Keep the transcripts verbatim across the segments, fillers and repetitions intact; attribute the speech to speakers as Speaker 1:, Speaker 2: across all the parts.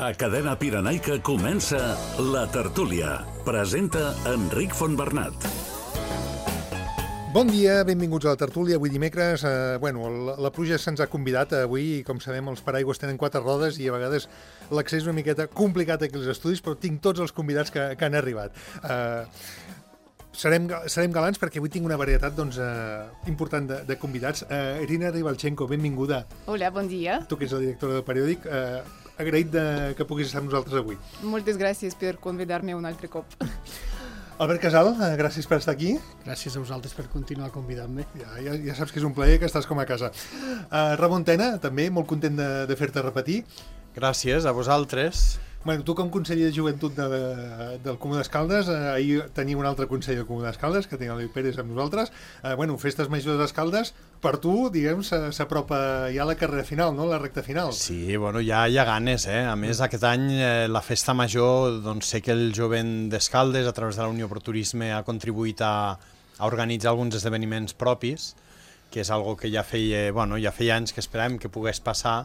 Speaker 1: A Cadena Pirenaica comença La Tertúlia. Presenta Enric Fontbernat.
Speaker 2: Bon dia, benvinguts a La Tertúlia. Avui dimecres, eh, bueno, la, la pluja se'ns ha convidat avui i, com sabem, els paraigües tenen quatre rodes i a vegades l'accés és una miqueta complicat aquí als estudis, però tinc tots els convidats que, que han arribat. Eh, serem, serem galants perquè avui tinc una varietat doncs, eh, important de, de convidats. Eh, Irina Ribalchenko, benvinguda.
Speaker 3: Hola, bon dia.
Speaker 2: Tu que ets la directora del periòdic, eh, agraït de, que puguis estar amb nosaltres avui.
Speaker 3: Moltes gràcies per convidar-me un altre cop.
Speaker 2: Albert Casal, gràcies per estar aquí.
Speaker 4: Gràcies a vosaltres per continuar convidant-me.
Speaker 2: Ja, ja, ja saps que és un plaer, que estàs com a casa. Uh, Ramon Tena, també, molt content de, de fer-te repetir.
Speaker 5: Gràcies a vosaltres.
Speaker 2: Bueno, tu com conseller de joventut de, de, del Comú d'Escaldes, eh, ahir tenia un altre conseller del Comú d'Escaldes, que tenia l'Eloi Pérez amb nosaltres. Eh, bueno, festes majors d'Escaldes, per tu, diguem, s'apropa ja la carrera final, no?, la recta final.
Speaker 5: Sí, bueno, ja hi ha ganes, eh? A més, aquest any eh, la festa major, doncs sé que el jovent d'Escaldes, a través de la Unió per Turisme, ha contribuït a, a organitzar alguns esdeveniments propis, que és algo que ja feia, bueno, ja feia anys que esperàvem que pogués passar,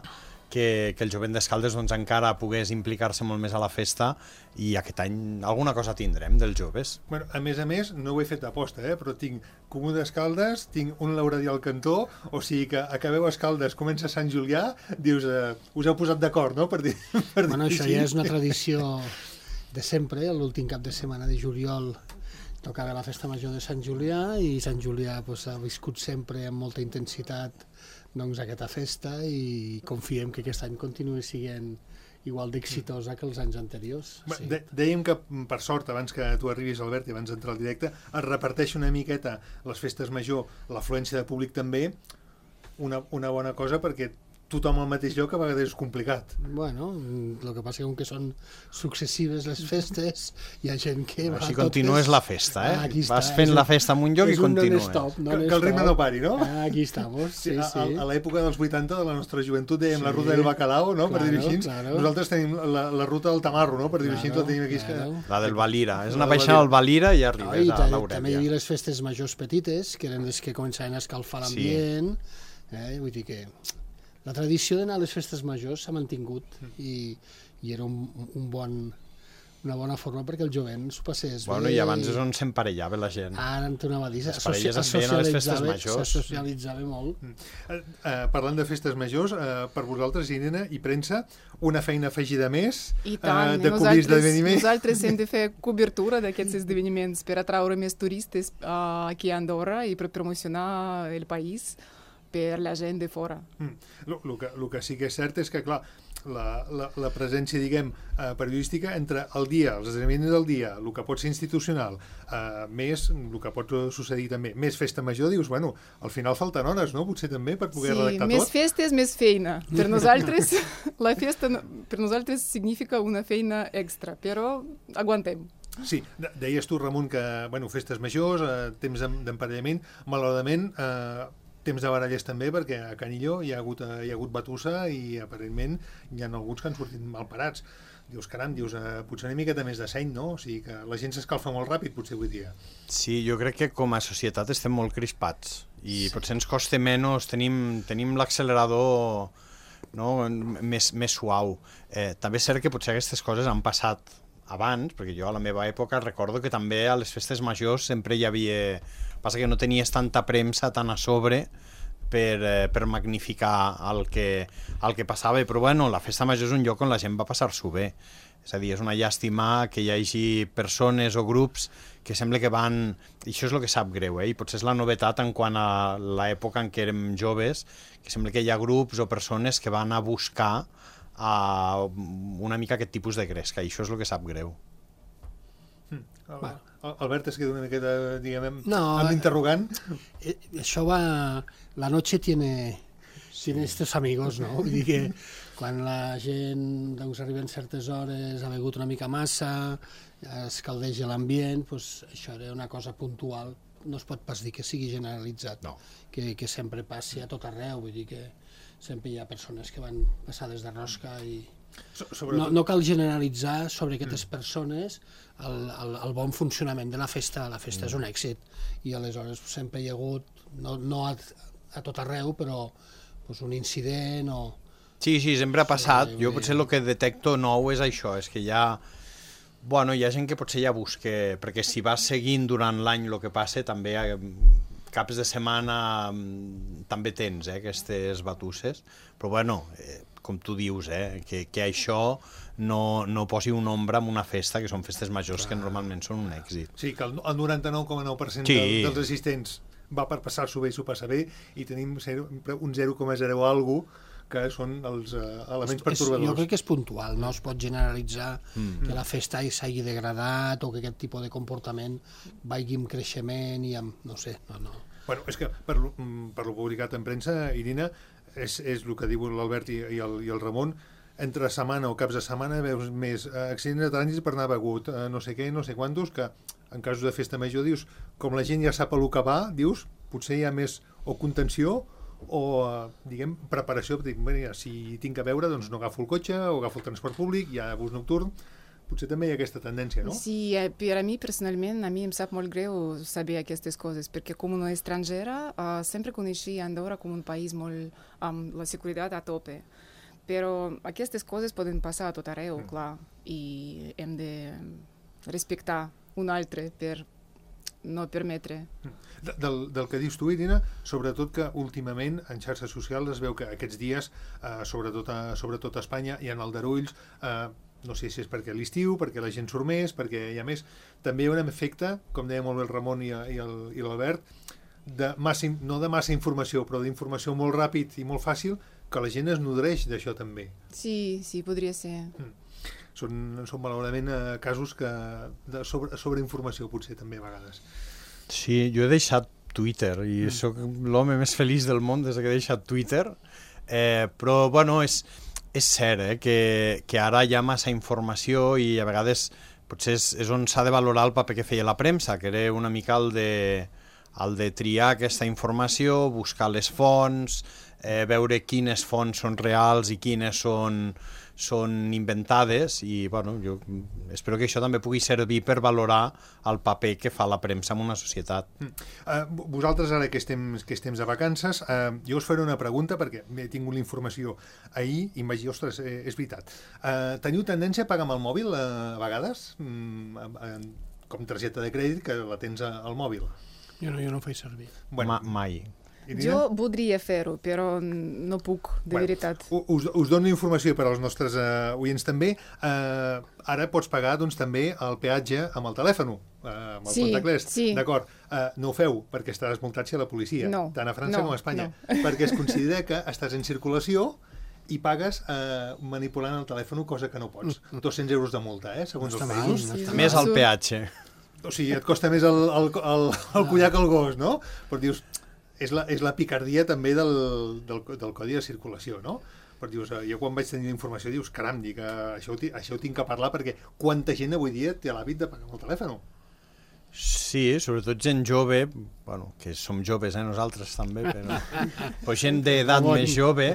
Speaker 5: que, que el jovent d'Escaldes doncs, encara pogués implicar-se molt més a la festa, i aquest any alguna cosa tindrem dels joves.
Speaker 2: Bueno, a més a més, no ho he fet aposta, eh? Però tinc Comú d'Escaldes, tinc un lauradí al cantó, o sigui que acabeu Escaldes, comença Sant Julià, dius, eh, us heu posat d'acord, no?, per dir, per
Speaker 4: bueno,
Speaker 2: dir
Speaker 4: això
Speaker 2: així.
Speaker 4: ja és una tradició de sempre, l'últim cap de setmana de juliol tocava la festa major de Sant Julià, i Sant Julià pues, ha viscut sempre amb molta intensitat doncs, aquesta festa, i confiem que aquest any continuï sent igual d'exitosa que els anys anteriors.
Speaker 2: Sí. De dèiem que, per sort, abans que tu arribis, Albert, i abans d'entrar al directe, es reparteix una miqueta les festes major, l'afluència de públic també, una, una bona cosa, perquè tothom al mateix lloc a vegades és complicat.
Speaker 4: Bueno, el que passa que són successives les festes, hi ha gent que va
Speaker 5: Així
Speaker 4: totes...
Speaker 5: continues la festa, eh?
Speaker 4: Ah,
Speaker 5: Vas
Speaker 4: està,
Speaker 5: fent
Speaker 4: un,
Speaker 5: la festa en un lloc i continues.
Speaker 4: Non-stop,
Speaker 2: que, que el ritme no pari, no?
Speaker 4: Ah, aquí estamos, sí,
Speaker 2: a,
Speaker 4: sí.
Speaker 2: A, a l'època dels vuitanta de la nostra joventut dèiem
Speaker 4: Sí,
Speaker 2: la ruta del bacalao, no?,
Speaker 4: claro,
Speaker 2: per dir-ho així.
Speaker 4: claro.
Speaker 2: Nosaltres tenim la, la ruta del tamarro, no?, per dir-ho així,
Speaker 4: Claro,
Speaker 2: la tenim aquí.
Speaker 4: claro.
Speaker 2: Que...
Speaker 5: La del Valira. És
Speaker 2: La
Speaker 5: una
Speaker 2: del
Speaker 5: baixada
Speaker 2: Valira.
Speaker 5: al Valira i
Speaker 4: No,
Speaker 5: arribes
Speaker 4: i
Speaker 5: a
Speaker 4: també hi
Speaker 5: l'Aurèlia.
Speaker 4: havia les festes majors petites, que eren les que començaven a escalfar l'ambient, eh? Vull dir que la tradició d'anar a les festes majors s'ha mantingut, i, i era un, un bon, una bona forma perquè el jovent s'ho passés
Speaker 5: Bueno,
Speaker 4: bé.
Speaker 5: i abans és on s'emparellava la gent.
Speaker 4: Ara en tornava a dir,
Speaker 5: Les parelles es feien a les festes majors.
Speaker 4: se socialitzava molt.
Speaker 2: Eh, eh, parlant de festes majors, eh, per vosaltres, Irene i premsa, una feina afegida més
Speaker 3: I tant,
Speaker 2: eh, de cobrir
Speaker 3: nosaltres,
Speaker 2: esdeveniments.
Speaker 3: nosaltres hem de fer cobertura d'aquests esdeveniments per atraure més turistes uh, aquí a Andorra i per promocionar el país per la gent de fora.
Speaker 2: Mm. Lo, lo, que, lo que sí que és cert és que, clar, la, la, la presència, diguem, eh, periodística entre el dia, els esdeveniments del dia, el que pot ser institucional, eh, més el que pot succeir també, més festa major, dius, bueno, al final falten hores, no?, potser també, per poder
Speaker 3: Sí,
Speaker 2: redactar
Speaker 3: més
Speaker 2: tot.
Speaker 3: festes, més feina. Per nosaltres, la festa no- per nosaltres significa una feina extra, però aguantem.
Speaker 2: Sí, de- deies tu, Ramon, que, bueno, festes majors, eh, temps d'em- d'emparellament, malauradament, eh, temps de baralles també, perquè a Canillo hi ha hagut, hi ha hagut batussa i aparentment hi ha alguns que han sortit mal parats. Dius, caram, dius, eh, potser una miqueta més de seny, no? O sigui que la gent s'escalfa molt ràpid, potser avui dia.
Speaker 5: Sí, jo crec que com a societat estem molt crispats i potser ens costa menys, tenim, tenim l'accelerador, no?, més, més suau. Eh, també és cert que potser aquestes coses han passat abans, perquè jo a la meva època recordo que també a les festes majors sempre hi havia... Passa que no tenies tanta premsa tan a sobre per, eh, per magnificar el que, el que passava, però bueno, la festa major és un lloc on la gent va passar-s'ho bé. És a dir, és una llàstima que hi hagi persones o grups que sembla que van... I això és el que sap greu, eh? I potser és la novetat en quant a l'època en què érem joves, que sembla que hi ha grups o persones que van a buscar a una mica aquest tipus de gresca, i això és el que sap greu.
Speaker 2: Mm. El, Albert es queda una miqueta, diguem,
Speaker 4: No,
Speaker 2: amb l'interrogant.
Speaker 4: Eh, això va... La noche tiene, tiene estos amigos, no? Vull dir que quan la gent doncs, arriba en certes hores, ha begut una mica massa, es caldeja l'ambient, doncs, això era una cosa puntual. No es pot pas dir que sigui generalitzat,
Speaker 5: No.
Speaker 4: que, que sempre passi a tot arreu. Vull dir que sempre hi ha persones que van passades de rosca i... No, no cal generalitzar sobre aquestes persones el, el, el bon funcionament de la festa. La festa és un èxit i aleshores sempre hi ha hagut, no, no a, a tot arreu, però pues, un incident o
Speaker 5: Sí, sí, sempre ha passat. Jo potser el que detecto nou és això, és que hi ha... Bueno, hi ha gent que potser ja busca... Perquè si vas seguint durant l'any el que passa, també caps de setmana també tens eh, aquestes batusses. Però bueno, eh, com tu dius, eh, que, que això no, no posi un ombra en una festa, que són festes majors que normalment són un èxit.
Speaker 2: Sí, que el, el noranta-nou coma nou per cent sí. del, dels assistents va per passar-s'ho bé i s'ho passa bé, i tenim zero, un zero coma zero algo que són els uh, elements pertorbadors.
Speaker 4: Jo crec que és puntual, no es pot generalitzar mm. que la festa s'hagi degradat o que aquest tipus de comportament vagi amb creixement i amb... no sé, no, no.
Speaker 2: Bueno, és que per, per lo publicat en premsa, Irina, és, és el que diu l'Albert i, i, el, i el Ramon, entre setmana o caps de setmana veus més eh, accidents de trànsit per anar begut, eh, no sé què, no sé quantos, que en casos de festa major, dius, com la gent ja sap el que va, dius, potser hi ha més o contenció o, eh, diguem, preparació, dic, bueno, si tinc a veure, doncs no agafo el cotxe o agafo el transport públic, hi ha bus nocturn, potser també hi ha aquesta tendència, no?
Speaker 3: Sí, per a mi personalment, a mi em sap molt greu saber aquestes coses, perquè com una estrangera uh, sempre coneixia Andorra com un país molt amb la seguretat a tope. Però aquestes coses poden passar a tot arreu, mm. clar, i hem de respectar un altre per no permetre.
Speaker 2: De, del, del que dius tu, Irina, sobretot que últimament en xarxes socials es veu que aquests dies, eh, sobretot, a, sobretot a Espanya i en Aldarulls, eh, no sé si és perquè l'estiu, perquè la gent surt més, perquè hi ha més, també hi ha un efecte, com deia molt bé el Ramon i, i l'Albert, de massa, no de massa informació, però d'informació molt ràpid i molt fàcil, que la gent es nodreix d'això també.
Speaker 3: Sí, sí, podria ser.
Speaker 2: Mm. Són, són malauradament eh, casos que de sobre, sobreinformació potser també a vegades.
Speaker 5: Sí, jo he deixat Twitter i mm. sóc l'home més feliç del món des que he deixat Twitter, eh, però bueno, és, és cert eh, que, que ara hi ha massa informació i a vegades potser és, és on s'ha de valorar el paper que feia la premsa, que era una mica el de, el de triar aquesta informació, buscar les fonts, eh, veure quines fonts són reals i quines són, són inventades i bueno, jo espero que això també pugui servir per valorar el paper que fa la premsa en una societat.
Speaker 2: Mm. Uh, vosaltres ara que estem, que estem de vacances, uh, jo us faré una pregunta perquè he tingut la informació ahir i em vaig dir, ostres, eh, és veritat. Uh, teniu tendència a pagar amb el mòbil uh, a vegades? Mm, uh, com targeta de crèdit que la tens al mòbil?
Speaker 4: Jo no, jo no ho faig servir.
Speaker 5: Bueno, Ma mai.
Speaker 3: Jo voldria fer-ho, però no puc, de bueno, veritat.
Speaker 2: Us, us dono informació per als nostres uh, oients també. Uh, ara pots pagar doncs, també el peatge amb el telèfon, uh, amb el
Speaker 3: sí,
Speaker 2: contactless.
Speaker 3: Sí.
Speaker 2: D'acord, uh, no ho feu perquè estaràs multat a la policia,
Speaker 3: no,
Speaker 2: tant a França
Speaker 3: no,
Speaker 2: com a Espanya,
Speaker 3: no.
Speaker 2: perquè es considera que estàs en circulació i pagues uh, manipulant el telèfon, cosa que no pots. dos-cents euros de multa, eh, segons no els països.
Speaker 4: Mal, no
Speaker 5: més el peatge.
Speaker 2: O sigui, et costa més el, el, el, el collar que el gos, no? Però dius... És la, és la picardia també del, del, del codi de circulació, no? Però dius, jo quan vaig tenir la informació dius, caram, dic, això, ho, això ho tinc que parlar perquè quanta gent avui dia té l'hàbit de pagar amb el telèfon?
Speaker 5: Sí, sobretot gent jove, bueno, que som joves, eh, nosaltres també, però, però gent d'edat més jove...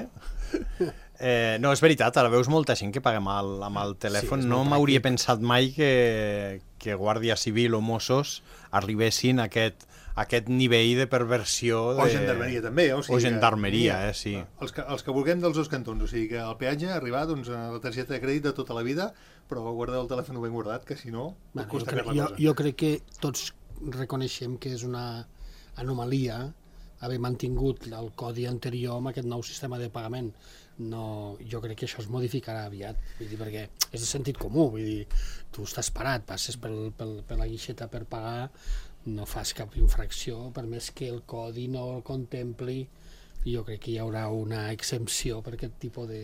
Speaker 5: Eh, no, és veritat, ara veus molta gent que paga amb el, amb el telèfon. Sí, no m'hauria pensat mai que, que Guàrdia Civil o Mossos arribessin a aquest, a aquest nivell de perversió. De...
Speaker 2: O gendarmeria també. O, sigui
Speaker 5: o gendarmeria, que, eh, sí.
Speaker 2: Els que, els que vulguem dels dos cantons, o sigui que el peatge arribar doncs, a la targeta de crèdit de tota la vida, però guardar el telèfon ben guardat, que si no,
Speaker 4: bueno,
Speaker 2: costa
Speaker 4: jo, crec, jo, jo crec que tots reconeixem que és una anomalia haver mantingut el codi anterior amb aquest nou sistema de pagament. No, jo crec que això es modificarà aviat, vull dir, perquè és de sentit comú, vull dir, tu estàs parat, passes pel, pel, per la guixeta per pagar, no fas cap infracció, per més que el codi no el contempli, jo crec que hi haurà una exempció per aquest tipus de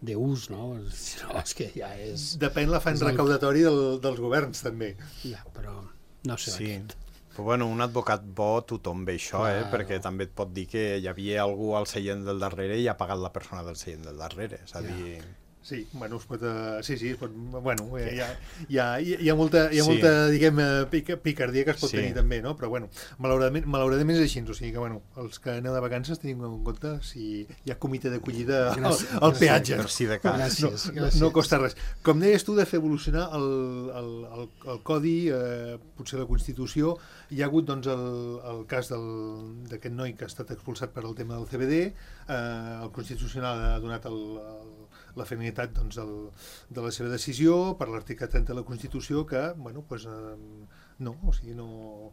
Speaker 4: d'ús, no? No, és que ja és...
Speaker 2: Depèn l'afany recaudatori del, dels governs, també.
Speaker 4: Ja, però no sé
Speaker 5: sí.
Speaker 4: aquest.
Speaker 5: Però bueno, un advocat bo tothom ve això, eh?
Speaker 4: Claro.
Speaker 5: Perquè també et pot dir que hi havia algú al seient del darrere i ha pagat la persona del seient del darrere. És a dir...
Speaker 2: Sí, bueno, es pot, uh, sí, sí, es pot, bueno, hi ha, hi ha, hi ha molta, hi ha sí. molta diguem, pic, picardia que es pot sí. tenir també, no? Però, bueno, malauradament, malauradament és així, o sigui que, bueno, els que aneu de vacances tenim en compte si hi ha comitè d'acollida al, al peatge.
Speaker 5: Merci de cas.
Speaker 2: Gràcies, no, gràcies. No costa res. Com deies tu, de fer evolucionar el, el, el, el codi, eh, potser la Constitució, hi ha hagut, doncs, el, el cas d'aquest noi que ha estat expulsat per al tema del C B D, eh, el Constitucional ha donat el, el la finalitat doncs, el, de la seva decisió per l'article trenta de la Constitució que, bueno, pues, eh, no, o sigui, no...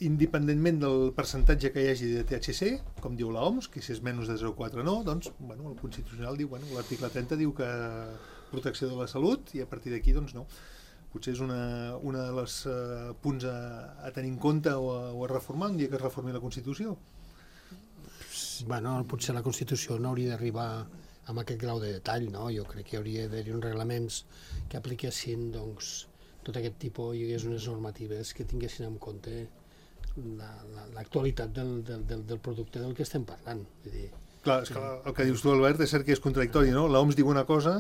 Speaker 2: independentment del percentatge que hi hagi de T H C, com diu l'O M S, que si és menys de zero coma quatre no, doncs, bueno, el Constitucional diu, bueno, l'article trenta diu que protecció de la salut i a partir d'aquí, doncs, no. Potser és una, una de les uh, punts a, a tenir en compte o a, o a reformar un dia que es reformi la Constitució.
Speaker 4: Bueno, potser la Constitució no hauria d'arribar amb aquest grau de detall, no? Jo crec que hi hauria d'haver uns reglaments que apliquessin, doncs, tot aquest tipus, hi hagués unes normatives que tinguessin en compte l'actualitat del, del, del, del producte del que estem parlant. Vull dir,
Speaker 2: clar, és que el que dius tu, Albert, és cert que és contradictori, no? L'O M S diu una cosa,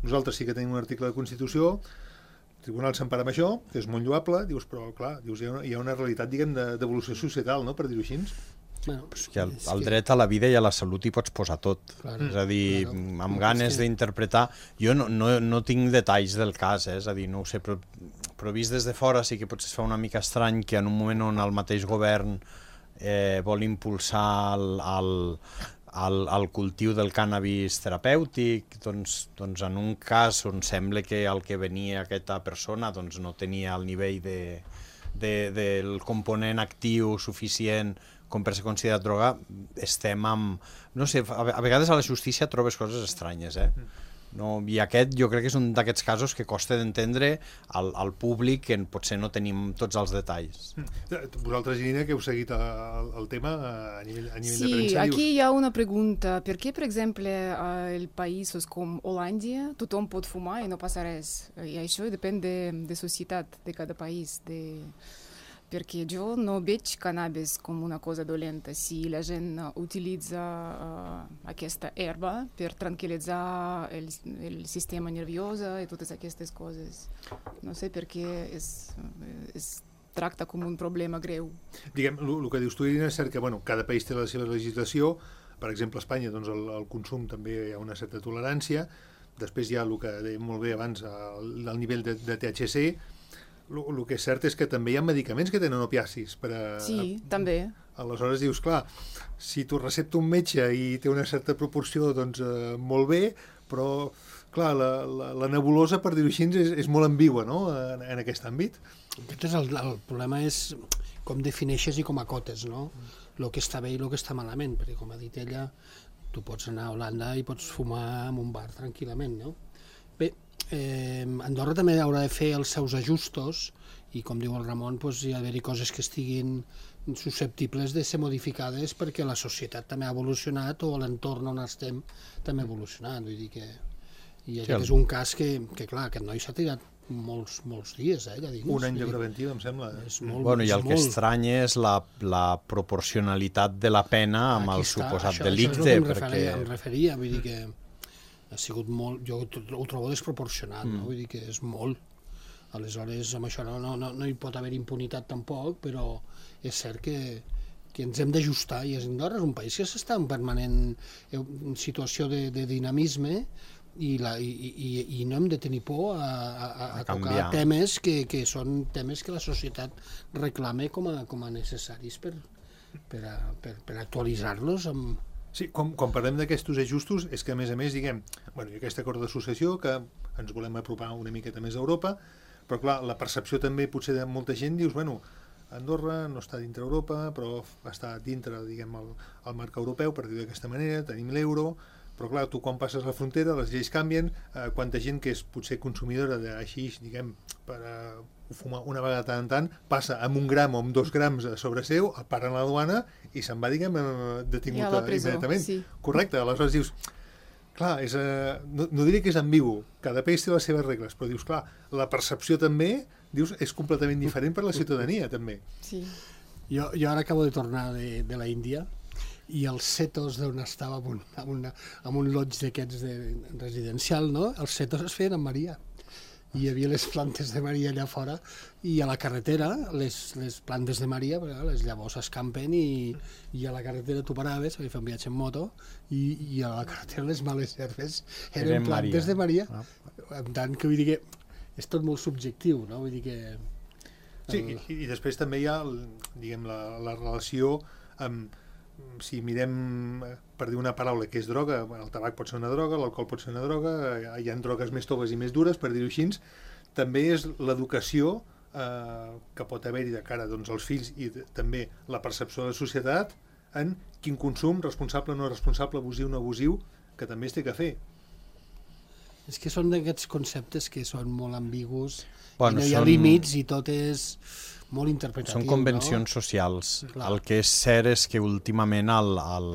Speaker 2: nosaltres sí que tenim un article de Constitució, el Tribunal s'empara amb això, que és molt lloable, dius, però clar, dius, hi ha una, hi ha una realitat, diguem, d'evolució societal, no?, per dir-ho així.
Speaker 5: Bueno, pues que el, el dret a la vida i a la salut hi pots posar tot. Claro, és a dir, claro. Amb ganes sí. d'interpretar... Jo no, no, no tinc detalls del cas, eh? És a dir, no ho sé, però, però vist des de fora sí que potser es fa una mica estrany que en un moment on el mateix govern eh, vol impulsar el, el, el, el cultiu del cànnabis terapèutic, doncs, doncs en un cas on sembla que el que venia aquesta persona doncs, no tenia el nivell de, de, del component actiu suficient com per ser considerat droga, estem amb... No sé, a vegades a la justícia trobes coses estranyes, eh? No, i aquest jo crec que és un d'aquests casos que costa d'entendre al, al públic que potser no tenim tots els detalls.
Speaker 2: Vosaltres, Irina, que heu seguit el, el tema a nivell, a nivell
Speaker 3: sí,
Speaker 2: de premsa...
Speaker 3: Sí, aquí
Speaker 2: dius...
Speaker 3: hi ha una pregunta. Per què, per exemple, en països com Holàndia tothom pot fumar i no passa res? I això depèn de, de societat de cada país, de... Perquè jo no veig cannabis com una cosa dolenta si la gent utilitza uh, aquesta herba per tranquil·litzar el, el sistema nerviós i totes aquestes coses. No sé per què es, es tracta com un problema greu.
Speaker 2: Diguem, el que dius tu, Irina, és cert que bueno, cada país té la seva legislació. Per exemple, a Espanya doncs, el, el consum també hi ha una certa tolerància. Després hi ha el que dèiem molt bé abans, el, el nivell de, de T H C. El que és cert és que també hi ha medicaments que tenen opiacis. Per a,
Speaker 3: sí,
Speaker 2: a,
Speaker 3: també.
Speaker 2: Aleshores dius, clar, si t'ho recepta un metge i té una certa proporció, doncs eh, molt bé, però, clar, la, la, la nebulosa, per dir-ho així, és, és molt ambigua, no?, en, en aquest àmbit.
Speaker 4: Aquest és el, el problema és com defineixes i com acotes, no?, el que està bé i el que està malament, perquè, com ha dit ella, tu pots anar a Holanda i pots fumar en un bar tranquil·lament, no? Bé, Eh, Andorra també haurà de fer els seus ajustos i, com diu el Ramon, doncs, hi ha d'haver-hi coses que estiguin susceptibles de ser modificades perquè la societat també ha evolucionat o l'entorn on estem també ha evolucionat. Vull dir que i aquest sí, el... és un cas que, que clar, aquest noi s'ha tirat molts, molts dies, eh, ja dins.
Speaker 2: Un any de preventiva, em sembla.
Speaker 4: És molt,
Speaker 5: bueno, i el
Speaker 4: és
Speaker 5: que
Speaker 4: molt...
Speaker 5: estranya és la, la proporcionalitat de la pena amb
Speaker 4: Aquí
Speaker 5: el
Speaker 4: està,
Speaker 5: suposat
Speaker 4: això,
Speaker 5: delicte.
Speaker 4: Això és el que em
Speaker 5: perquè...
Speaker 4: referia, em referia, vull dir que ha sigut molt, jo ho trobo desproporcionat, mm. no? Vull dir que és molt. Aleshores, amb això no, no, no, no hi pot haver impunitat tampoc, però és cert que, que ens hem d'ajustar, i Andorra és un país que s'està en permanent en situació de, de dinamisme i, la, i, i, i no hem de tenir por a, a, a, a tocar temes que, que són temes que la societat reclama com a, com a necessaris per, per, a, per, per actualitzar-los amb...
Speaker 2: Sí, quan, quan parlem d'aquests ajustos és que, a més a més, diguem, bueno, hi ha aquest acord d'associació que ens volem apropar una miqueta més a Europa, però clar, la percepció també potser de molta gent dius, bueno, Andorra no està dintre Europa, però està dintre, diguem, el, el marc europeu, per dir-ho d'aquesta manera, tenim l'euro, però clar, tu quan passes la frontera, les lleis canvien, eh, quanta gent que és potser consumidora d'així, diguem, per eh, fumar una vegada tant en tant, passa amb un gram o amb dos grams a sobre seu, el paren a la duana i se'n va, diguem, detingut immediatament. Sí. Correcte, aleshores dius, clar, és, eh, no, no diré que és ambigu, cada país té les seves regles, però dius, clar, la percepció també, dius, és completament diferent per la ciutadania, també.
Speaker 3: Sí.
Speaker 4: Jo, jo ara acabo de tornar de, de la Índia i els setos d'on estava en un, en una, en un lodge d'aquests de residencial, no? Els setos es feien amb Maria. Hi havia les plantes de Maria allà fora i a la carretera, les, les plantes de Maria, les llavors escampen i, i a la carretera tu paraves, vaig fer un viatge en moto, i, i a la carretera les males herbes eren, eren plantes Maria. de Maria. Ah. En tant que vull dir que és tot molt subjectiu, no? Vull dir que...
Speaker 2: Sí, i, i després també hi ha, diguem, la, la relació amb... Si mirem, per dir una paraula, que és droga, el tabac pot ser una droga, l'alcohol pot ser una droga, hi ha drogues més toves i més dures, per dir-ho així, també és l'educació eh, que pot haver-hi de cara doncs, als fills i de, també la percepció de la societat en quin consum, responsable o no responsable, abusiu o no abusiu, que també es té que fer.
Speaker 4: És que són d'aquests conceptes que són molt ambigus,
Speaker 5: bueno,
Speaker 4: i no hi ha
Speaker 5: són...
Speaker 4: límits i tot és... molt interpretatiu,
Speaker 5: són convencions
Speaker 4: no?
Speaker 5: socials.
Speaker 4: Clar.
Speaker 5: El que és cert és que últimament el, el,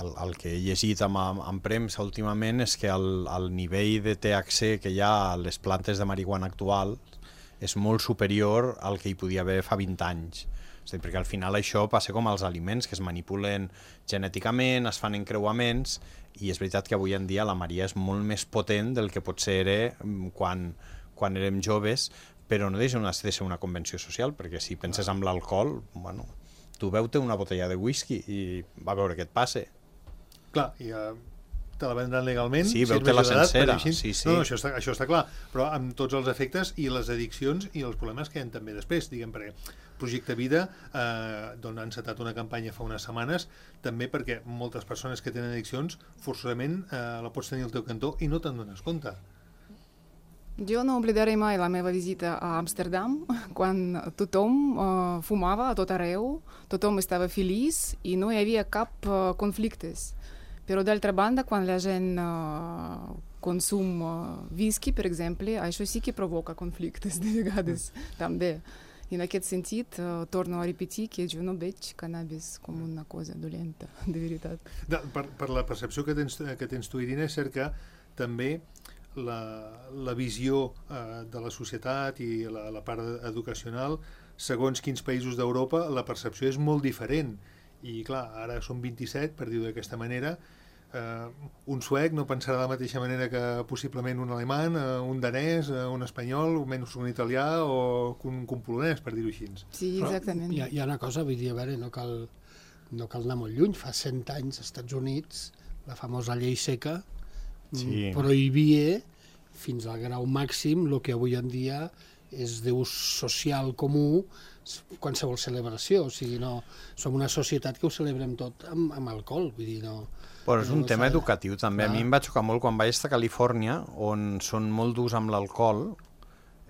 Speaker 5: el, el que he llegit en, en premsa últimament és que el, el nivell de T H C que hi ha a les plantes de marihuana actual és molt superior al que hi podia haver fa vint anys. És a dir, perquè al final això passa com els aliments, que es manipulen genèticament, es fan encreuaments, i és veritat que avui en dia la Maria és molt més potent del que potser era quan, quan érem joves, però no deixa de ser una convenció social, perquè si penses en l'alcohol, bueno, tu beu-te una botella de whisky i va veure què et passa.
Speaker 2: Clar, i uh, te la vendran legalment.
Speaker 5: Sí, si veu-te la sencera. Sí, sí.
Speaker 2: No, no, això, està, això està clar, però amb tots els efectes i les addiccions i els problemes que hi ha també després, diguem, perquè Projecte Vida, eh, d'on han encetat una campanya fa unes setmanes, també perquè moltes persones que tenen addiccions, forçosament eh, la pots tenir al teu cantó i no te'n dones compte.
Speaker 3: Jo no oblidaré mai la meva visita a Amsterdam, quan tothom uh, fumava a tot arreu, tothom estava feliç i no hi havia cap uh, conflictes. Però d'altra banda, quan la gent uh, consum uh, whisky, per exemple, això sí que provoca conflictes de vegades, mm. també. I en aquest sentit, uh, torno a repetir que jo no veig cannabis com una cosa dolenta, de veritat.
Speaker 2: De, per, per la percepció que tens, que tens tu, Irina, és cert que també La, la visió eh, de la societat i la, la part educacional, segons quins països d'Europa, la percepció és molt diferent. I clar, ara són vint-i-set, per dir-ho d'aquesta manera, eh, un suec no pensarà de la mateixa manera que possiblement un alemany, eh, un danès, eh, un espanyol, o menys un italià o un, un polonès, per dir-ho així.
Speaker 3: Sí, exactament.
Speaker 4: Hi ha, hi ha una cosa, vull dir, a veure, no cal, no cal anar molt lluny. Fa cent anys als Estats Units, la famosa llei seca, sí. prohibia fins al grau màxim el que avui en dia és d'ús social comú qualsevol celebració. O sigui, no, som una societat que ho celebrem tot amb, amb alcohol. Vull dir, no,
Speaker 5: Però és un
Speaker 4: no
Speaker 5: tema
Speaker 4: fa...
Speaker 5: educatiu també. Ah. A mi em va xocar molt quan vaig estar a Califòrnia, on són molt durs amb l'alcohol,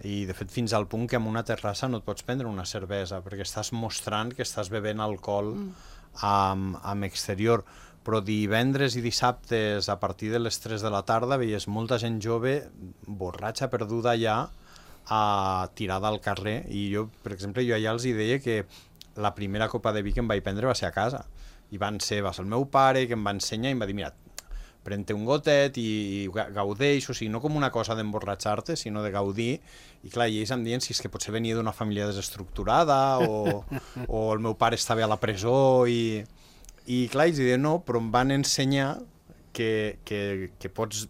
Speaker 5: i de fet fins al punt que en una terrassa no et pots prendre una cervesa perquè estàs mostrant que estàs bevent alcohol mm. amb, amb exterior. Però divendres i dissabtes a partir de les tres de la tarda veies molta gent jove borratxa, perduda allà, a tirada al carrer, i jo, per exemple, jo allà els hi deia que la primera copa de vi que em vaig prendre va ser a casa, i van ser, va ser el meu pare que em va ensenyar i em va dir, mira, pren-te un gotet i, i gaudeix, o sigui, no com una cosa d'emborratxar-te, sinó de gaudir, i clar, i ells em diuen si és que potser venia d'una família desestructurada o, o el meu pare estava a la presó i... I clar, ells diuen no, però em van ensenyar que, que, que pots,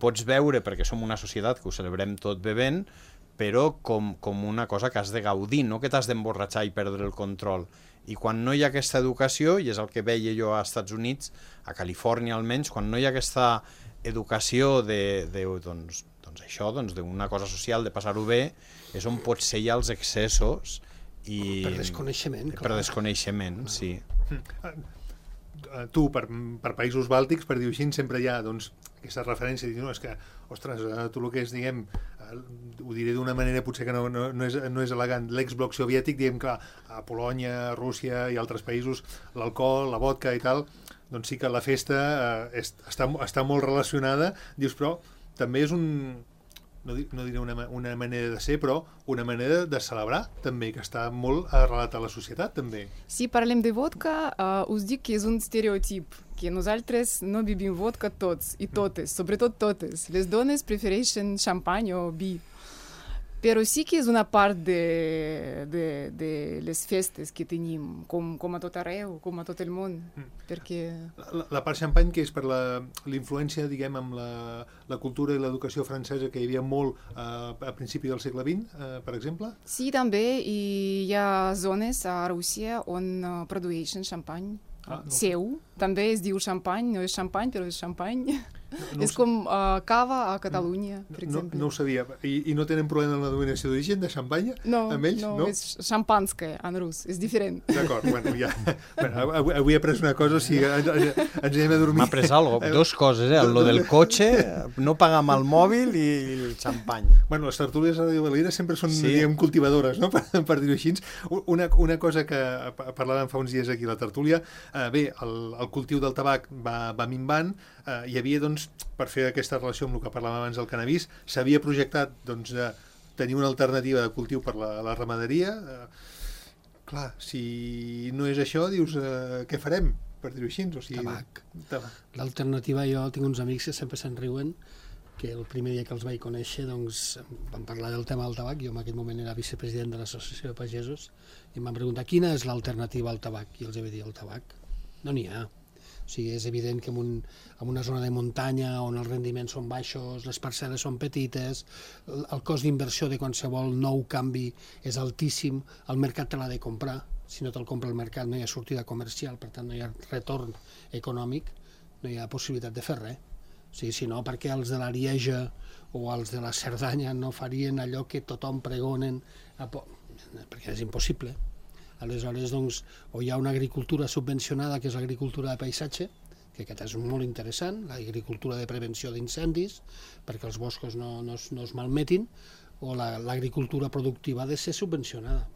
Speaker 5: pots veure, perquè som una societat que ho celebrem tot bevent, però com, com una cosa que has de gaudir, no que t'has d'emborratxar i perdre el control. I quan no hi ha aquesta educació, i és el que veia jo als Estats Units, a Califòrnia almenys, quan no hi ha aquesta educació de, de doncs, doncs això, doncs d'una cosa social, de passar-ho bé, és on potser hi ha els excessos i...
Speaker 4: Per desconeixement, clar.
Speaker 5: Per desconeixement, sí.
Speaker 2: Tu, per, per països bàltics, per dir-ho així, sempre hi ha doncs, aquesta referència, dir, no, és que, ostres, tu el que és, diguem, ho diré d'una manera potser que no, no, no, és, no és elegant, l'ex-bloc soviètic, diguem, clar, a Polònia, Rússia i altres països, l'alcohol, la vodka i tal, doncs sí que la festa eh, està, està molt relacionada, dius, però també és un... no, no diré una, una manera de ser, però una manera de celebrar, també, que està molt arrelat a la societat, també.
Speaker 3: Si parlem de vodka, uh, us dic que és un estereotip, que nosaltres no bebim vodka tots i totes, sobretot totes. Les dones prefereixen xampany o vi. Però sí que és una part de, de, de, de les festes que tenim, com, com a tot arreu, com a tot el món, mm. perquè...
Speaker 2: La, la part xampany, que és per la, la influència, diguem, amb la, la cultura i l'educació francesa que hi havia molt eh, a principi del segle vint, eh, per exemple?
Speaker 3: Sí, també, i hi ha zones a Rússia on uh, produeixen xampany ah, no. seu. També es diu xampany, no és xampany, però és xampany. No, no és com uh, cava a Catalunya, per
Speaker 2: no,
Speaker 3: exemple.
Speaker 2: No ho sabia. I, I no tenen problema amb la denominació d'origen de xampanya?
Speaker 3: No,
Speaker 2: amb ells?
Speaker 3: no,
Speaker 2: no,
Speaker 3: és xampanske en rus, és diferent.
Speaker 2: D'acord, bueno, ja. Bueno, avui, avui he après una cosa, o sigui, ens, ens anem a dormir.
Speaker 5: M'ha après algo, dos coses, eh? Lo del cotxe, no pagar amb el mòbil i el xampany.
Speaker 2: Bueno, les tertúlies a Radio Valira sempre són,
Speaker 5: sí.
Speaker 2: diguem, cultivadores, no?, per, per dir-ho així. Una, una cosa que parlàvem fa uns dies aquí a la tertúlia, eh, bé, el, el cultiu del tabac va, va minvant, eh, hi havia, doncs, per fer aquesta relació amb el que parlàvem abans del cannabis, s'havia projectat, doncs, de tenir una alternativa de cultiu per la, la ramaderia. Eh, clar, si no és això, dius, eh, què farem, per dir-ho així? O sigui,
Speaker 4: tabac.
Speaker 2: tabac.
Speaker 4: L'alternativa, jo tinc uns amics que sempre se'n riuen, que el primer dia que els vaig conèixer, doncs, vam parlar del tema del tabac, jo en aquell moment era vicepresident de l'Associació de Pagesos, i em van preguntar quina és l'alternativa al tabac, i els vaig dir, el tabac no n'hi ha. O sigui, és evident que en, un, en una zona de muntanya on els rendiments són baixos, les parcel·les són petites, el, el cost d'inversió de qualsevol nou canvi és altíssim, el mercat te l'ha de comprar, si no te'l compra el mercat no hi ha sortida comercial, per tant no hi ha retorn econòmic, no hi ha possibilitat de fer res. O sigui, si no, perquè els de l'Arieja o els de la Cerdanya no farien allò que tothom pregonen, perquè és impossible. Aleshores, doncs, o hi ha una agricultura subvencionada, que és l'agricultura de paisatge, que aquest és molt interessant, l'agricultura de prevenció d'incendis, perquè els boscos no, no, es, no es malmetin, o l'agricultura productiva ha de ser subvencionada.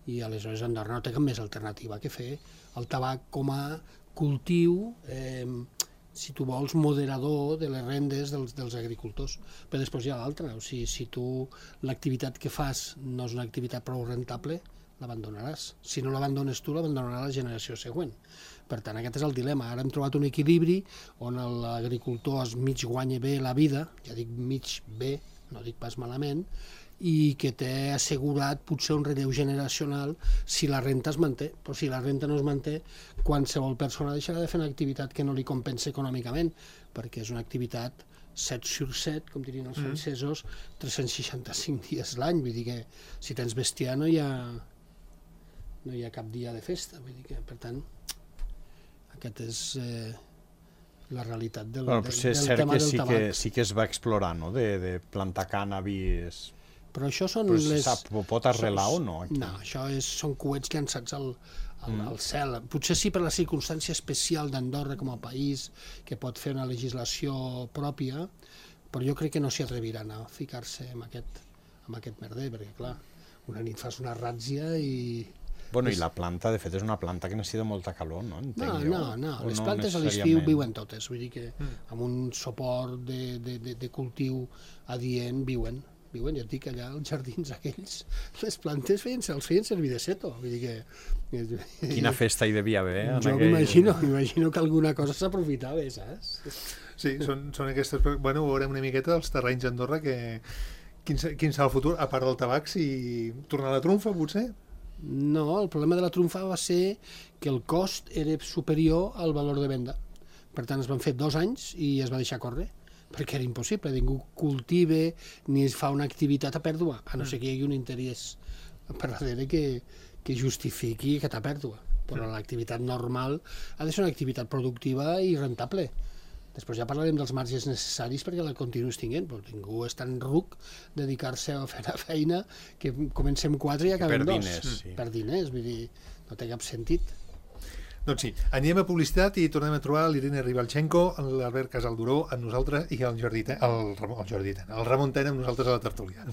Speaker 4: I aleshores Andorra no té cap més alternativa que fer el tabac com a cultiu, eh, si tu vols, moderador de les rendes dels, dels agricultors. Però després hi ha l'altra, o sigui, si tu l'activitat que fas no és una activitat prou rentable, l'abandonaràs. Si no l'abandones tu, l'abandonarà la generació següent. Per tant, aquest és el dilema. Ara hem trobat un equilibri on l'agricultor es mig guanya bé la vida, ja dic mig bé, no dic pas malament, i que té assegurat potser un relleu generacional si la renta es manté. Però si la renta no es manté, qualsevol persona deixarà de fer una activitat que no li compensa econòmicament, perquè és una activitat set sur set, com dirien els francesos, tres-cents seixanta-cinc dies l'any. Vull dir que si tens bestiar no hi ha... no hi ha cap dia de festa, vull dir que, per tant, aquest és eh, la realitat del,
Speaker 5: bueno,
Speaker 4: del,
Speaker 5: sí,
Speaker 4: del
Speaker 5: cert
Speaker 4: tema
Speaker 5: que
Speaker 4: del
Speaker 5: sí
Speaker 4: tabac.
Speaker 5: Que sí que es va explorar, no?, de, de plantar cànnabis.
Speaker 4: Però això són
Speaker 5: Però
Speaker 4: les...
Speaker 5: sap, pot arrelar o no? Aquí?
Speaker 4: No, això és, són coets llançats al, al,
Speaker 5: Mm.
Speaker 4: al cel. Potser sí per la circumstància especial d'Andorra com a país, que pot fer una legislació pròpia, però jo crec que no s'hi atreviran a ficar-se amb aquest, amb aquest merder, perquè clar, una nit fas una ràtzia i...
Speaker 5: Bueno, i la planta, de fet, és una planta que necessita molta calor, no? Entenc
Speaker 4: No,
Speaker 5: jo.
Speaker 4: no, no,
Speaker 5: O
Speaker 4: les
Speaker 5: no
Speaker 4: plantes a l'estiu
Speaker 5: necessàriament?
Speaker 4: viuen totes, vull dir que amb un suport de, de, de, de cultiu adient viuen, viuen, ja et dic, allà als jardins aquells, les plantes feien, els feien servir de seto, vull dir que...
Speaker 5: Quina festa hi devia haver? en
Speaker 4: Jo
Speaker 5: aquell-
Speaker 4: m'imagino, m'imagino que alguna cosa s'aprofitava, saps?
Speaker 2: Sí, són, són aquestes... Bueno, veurem una miqueta dels terrenys d'Andorra que... Quin, se- quin serà el futur, a part del tabac, si tornar a la trumfa, potser?
Speaker 4: No, el problema de la trumfa va ser que el cost era superior al valor de venda. Per tant, es van fer dos anys i es va deixar córrer, perquè era impossible. Ningú cultive ni es fa una activitat a pèrdua, a no ser que hi hagi un interès per darrere que, que justifiqui aquesta pèrdua. Però l'activitat normal ha de ser una activitat productiva i rentable. Després ja parlarem dels marges necessaris perquè la continuïs tinguent, però ningú és tan ruc dedicar-se a fer una feina que comencem quatre i acabem
Speaker 5: per
Speaker 4: dos.
Speaker 5: diners, sí.
Speaker 4: Per diners, vull dir, no té cap sentit.
Speaker 2: Doncs sí, anem a publicitat i tornem a trobar l'Irene Ribalchenko, l'Albert Casalduró amb nosaltres i el Jordi Ten, el, Ramon, el Jordi Ten, el Ramon Ten amb nosaltres a la tertúlia.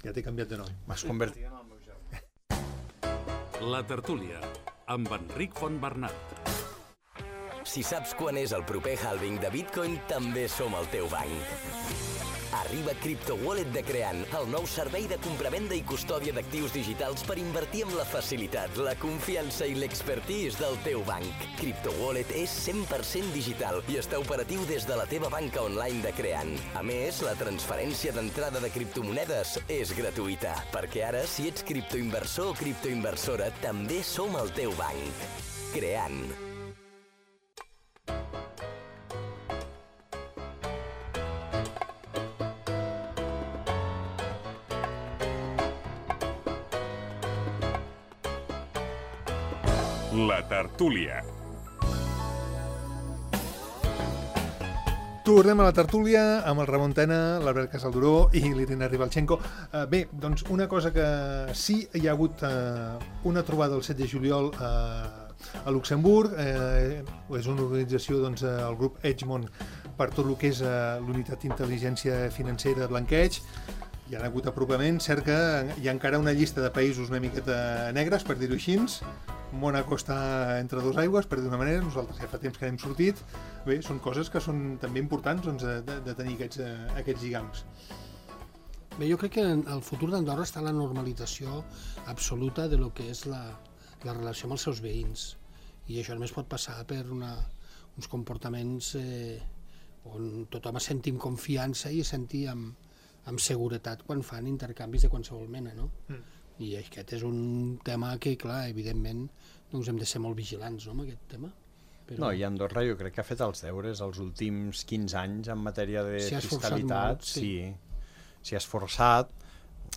Speaker 2: Ja t'he canviat de nom.
Speaker 5: M'has convertit en el meu germà.
Speaker 1: La tertúlia, amb Enric Fontbernat.
Speaker 6: Si saps quan és el proper halving de Bitcoin, també som el teu banc. Arriba Crypto Wallet de Creant, el nou servei de compravenda i custòdia d'actius digitals per invertir amb la facilitat, la confiança i l'expertise del teu banc. Crypto Wallet és cent per cent digital i està operatiu des de la teva banca online de Creant. A més, la transferència d'entrada de criptomonedes és gratuïta, perquè ara, si ets criptoinversor o criptoinversora, també som el teu banc. Creant.
Speaker 7: La tertúlia.
Speaker 2: Tornem a la tertúlia amb el Ramon Tena, l'Albert Casalduró i l'Irina Ribalchenko. Uh, bé, doncs una cosa que sí hi ha hagut uh, una trobada el set de juliol uh, a Luxemburg. Uh, és una organització, doncs, uh, el grup Edgemont, per tot el que és uh, l'unitat d'intel·ligència financera de blanqueig. Hi ha hagut apropaments, cert que hi ha encara una llista de països una miqueta negres, per dir-ho així. Mònaco està entre dos aigües, per dir d'una manera, nosaltres ja fa temps que n'hem sortit. Bé, són coses que són també importants, doncs, de, de tenir aquests, aquests lligams.
Speaker 4: Bé, jo crec que el futur d'Andorra està en la normalització absoluta de lo que és la, la relació amb els seus veïns. I això només pot passar per una, uns comportaments eh, on tothom sentim confiança i sentir amb, amb seguretat quan fan intercanvis de qualsevol mena, no? Mm. I aquest és un tema que, clar, evidentment, doncs hem de ser molt vigilants, no?, amb aquest tema. Però...
Speaker 5: No, i Andorra jo crec que ha fet els deures els últims quinze anys en matèria de
Speaker 4: si
Speaker 5: fiscalitat.
Speaker 4: Molt, sí.
Speaker 5: Sí, s'hi ha esforçat.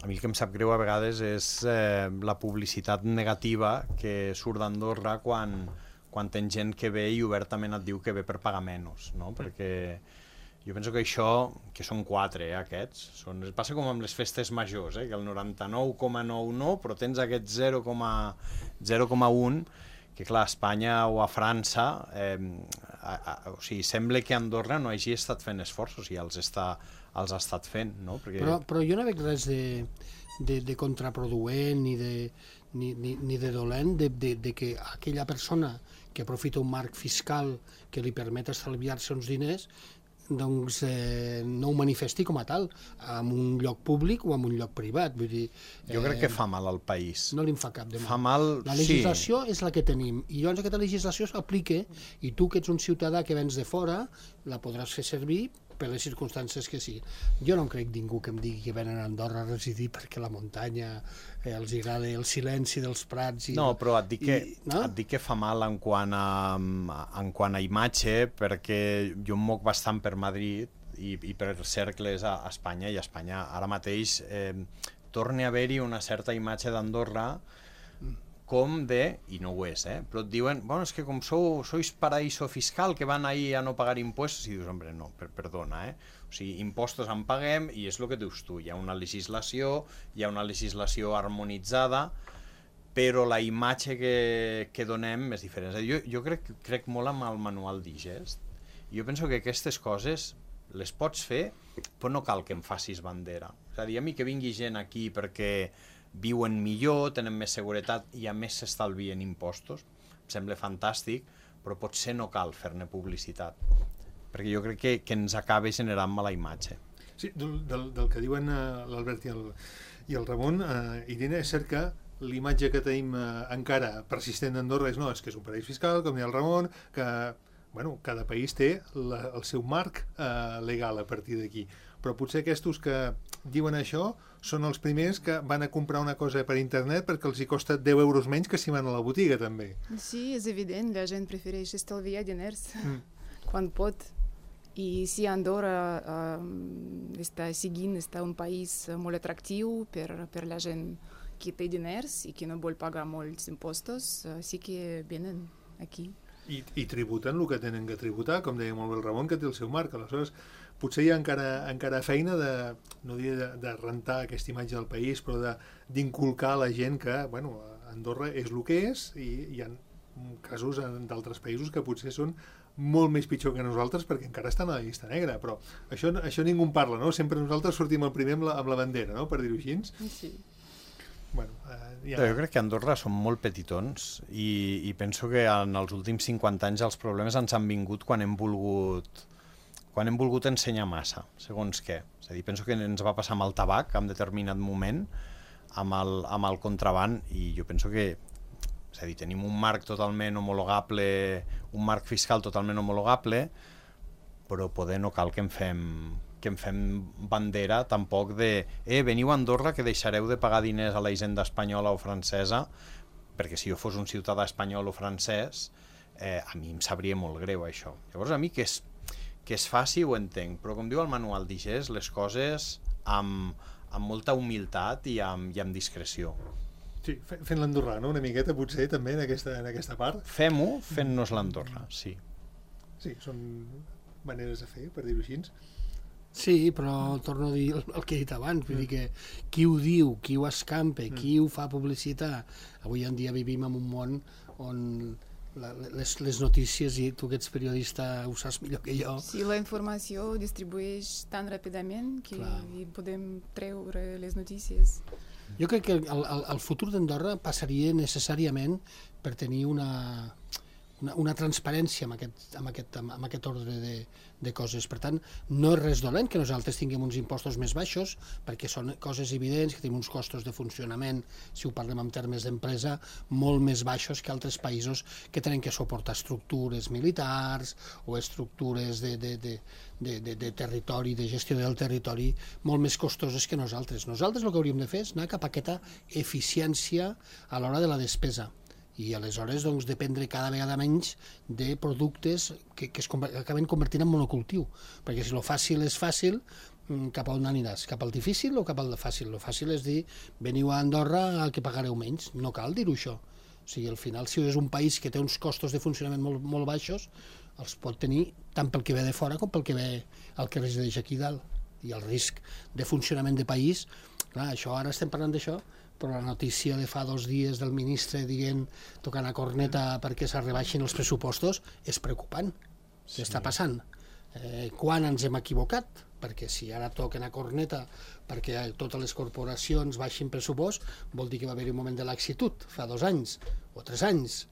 Speaker 5: A mi el que em sap greu a vegades és eh, la publicitat negativa que surt d'Andorra quan, quan ten gent que ve i obertament et diu que ve per pagar menys, no? Perquè jo penso que això, que són quatre, eh, aquests, són, passa com amb les festes majors, eh, que el noranta-nou coma nou no, però tens aquest zero coma un, que clar, a Espanya o a França, eh, a, a, o sigui, sembla que Andorra no hagi estat fent esforços i els, està, els ha estat fent, no? Perquè...
Speaker 4: Però, però jo no veig res de, de, de contraproduent ni de, ni, ni, ni de dolent de, de, de que aquella persona que aprofita un marc fiscal que li permet estalviar-se uns diners doncs eh, no ho manifesti com a tal en un lloc públic o en un lloc privat. Vull dir, eh,
Speaker 5: jo crec que fa mal al país.
Speaker 4: No li en fa cap de mal.
Speaker 5: Fa mal,
Speaker 4: la legislació
Speaker 5: sí.
Speaker 4: És la que tenim i llavors aquesta legislació s'aplica i tu que ets un ciutadà que vens de fora la podràs fer servir per les circumstàncies que sí. Jo no em crec ningú que em digui que venen a Andorra a residir perquè la muntanya eh, els agrada el silenci dels prats. I,
Speaker 5: no, però et dic, que,
Speaker 4: i, no?
Speaker 5: et dic que fa mal en quant a, en quant a imatge, perquè jo em moc bastant per Madrid i, i per cercles a, a Espanya, i a Espanya ara mateix eh, torna a haver-hi una certa imatge d'Andorra com de, i no ho és, eh? Però et diuen, bueno, és que com sou, sois paraíso fiscal, que van ahí a no pagar impuestos, i dius, hombre, no, per, perdona, eh? O sigui, impostos en paguem, i és el que dius tu, hi ha una legislació, hi ha una legislació harmonitzada, però la imatge que, que donem és diferent. Jo, jo crec, crec molt amb el manual Digest, i jo penso que aquestes coses les pots fer, però no cal que em facis bandera. És a dir, a mi que vingui gent aquí perquè viuen millor, tenen més seguretat i a més s'estalvien impostos, em sembla fantàstic, però potser no cal fer-ne publicitat, perquè jo crec que, que ens acaba generant mala imatge.
Speaker 2: Sí, del, del, del que diuen uh, l'Albert i, el, i el Ramon, uh, Irene, és cert que l'imatge que tenim uh, encara persistent d'Andorra és, no, és que és un paradís fiscal, com deia el Ramon, que bueno, cada país té la, el seu marc uh, legal a partir d'aquí. Però potser aquests que diuen això són els primers que van a comprar una cosa per internet perquè els hi costa deu euros menys que si van a la botiga, també.
Speaker 3: Sí, és evident, la gent prefereix estalviar diners mm. quan pot. I si Andorra uh, està seguint, està un país molt atractiu per, per la gent que té diners i que no vol pagar molts impostos, uh, sí que venen aquí.
Speaker 2: I, i tributen el que tenen que tributar, com deia molt bé el Ramon, que té el seu marc. Aleshores, potser hi ha encara, encara feina de, no diria de, de rentar aquesta imatge del país, però d'inculcar a la gent que, bueno, Andorra és el que és, i hi ha casos d'altres països que potser són molt més pitjor que nosaltres perquè encara estan a la llista negra, però això, això ningú en parla, no? Sempre nosaltres sortim el primer amb la, amb la bandera, no?, per dir-ho així.
Speaker 3: Sí.
Speaker 2: bueno, eh, ja...
Speaker 5: Jo crec que a Andorra som molt petitons i, i penso que en els últims cinquanta anys els problemes ens han vingut quan hem volgut quan hem volgut ensenyar massa, segons què. És a dir, penso que ens va passar amb el tabac en determinat moment, amb el, amb el contraban, i jo penso que és a dir, tenim un marc totalment homologable, un marc fiscal totalment homologable, però poder no cal que en fem que en fem bandera tampoc de eh, veniu a Andorra que deixareu de pagar diners a la hisenda espanyola o francesa, perquè si jo fos un ciutadà espanyol o francès, eh, a mi em sabria molt greu això. Llavors a mi que és, que es faci ho entenc, però com diu el manual d'I G E S, les coses amb, amb molta humilitat i amb, i amb discreció.
Speaker 2: Sí, fent l'Andorrà, no? Una miqueta potser també en aquesta, en aquesta part.
Speaker 5: Fem-ho fent-nos l'Andorra, sí.
Speaker 2: Sí, són maneres de fer, per dir-ho així.
Speaker 4: Sí, però torno a dir el, el que he dit abans, vull dir que qui ho diu, qui ho escampa, qui ho fa publicitat, avui en dia vivim en un món on la, les, les notícies, i tu que ets periodista ho saps millor que jo.
Speaker 3: Sí, la informació distribueix tan ràpidament que
Speaker 4: Clar.
Speaker 3: podem treure les notícies.
Speaker 4: Jo crec que el, el, el futur d'Andorra passaria necessàriament per tenir una, una, una transparència amb aquest, amb aquest, amb aquest ordre de, de coses. Per tant, no és res dolent que nosaltres tinguem uns impostos més baixos, perquè són coses evidents, que tenim uns costos de funcionament, si ho parlem en termes d'empresa, molt més baixos que altres països que tenen que suportar estructures militars o estructures de, de, de, de, de, de territori, de gestió del territori, molt més costoses que nosaltres. Nosaltres el que hauríem de fer és anar cap a aquesta eficiència a l'hora de la despesa. I aleshores doncs, dependre cada vegada menys de productes que, que es acaben convertint en monocultiu, perquè si el fàcil és fàcil, cap a on aniràs? Cap al difícil o cap al fàcil? El fàcil és dir, veniu a Andorra que pagareu menys, no cal dir-ho això. O sigui, al final, si és un país que té uns costos de funcionament molt, molt baixos, els pot tenir tant pel que ve de fora com pel que ve el que resideix aquí dalt. I el risc de funcionament de país, clar, això ara estem parlant d'això, però la notícia de fa dos dies del ministre dient, tocant a corneta perquè es rebaixin els pressupostos, és preocupant. Què està passant? Eh, quan ens hem equivocat? Perquè si ara toquen a corneta perquè totes les corporacions baixin pressupost, vol dir que va haver-hi un moment de laxitud, fa dos anys o tres anys.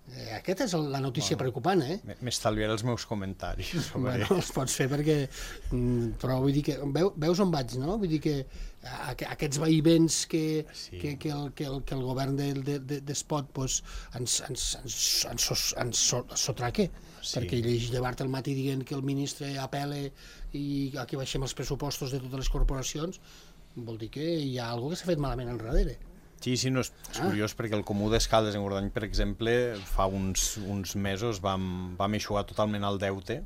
Speaker 4: Eh, aquesta és la notícia bueno, preocupant, eh?
Speaker 5: M'estalviaré els meus comentaris sobre...
Speaker 4: Bueno, els pots fer perquè... Però vull dir que... Veu, veus on vaig, no? Vull dir que aquests vaivents que, sí. que, que, el, que, el, que el govern de, de, de, d'Espot pues, ens, ens, ens, ens, ens sotraque. Sí. Perquè llegeix llevar-te al matí dient que el ministre apela i aquí baixem els pressupostos de totes les corporacions, vol dir que hi ha alguna que s'ha fet malament enrere.
Speaker 5: Sí, sí, no, és, és curiós ah. perquè el Comú d'Escaldes en Gordany, per exemple, fa uns, uns mesos vam, vam eixugar totalment el deute.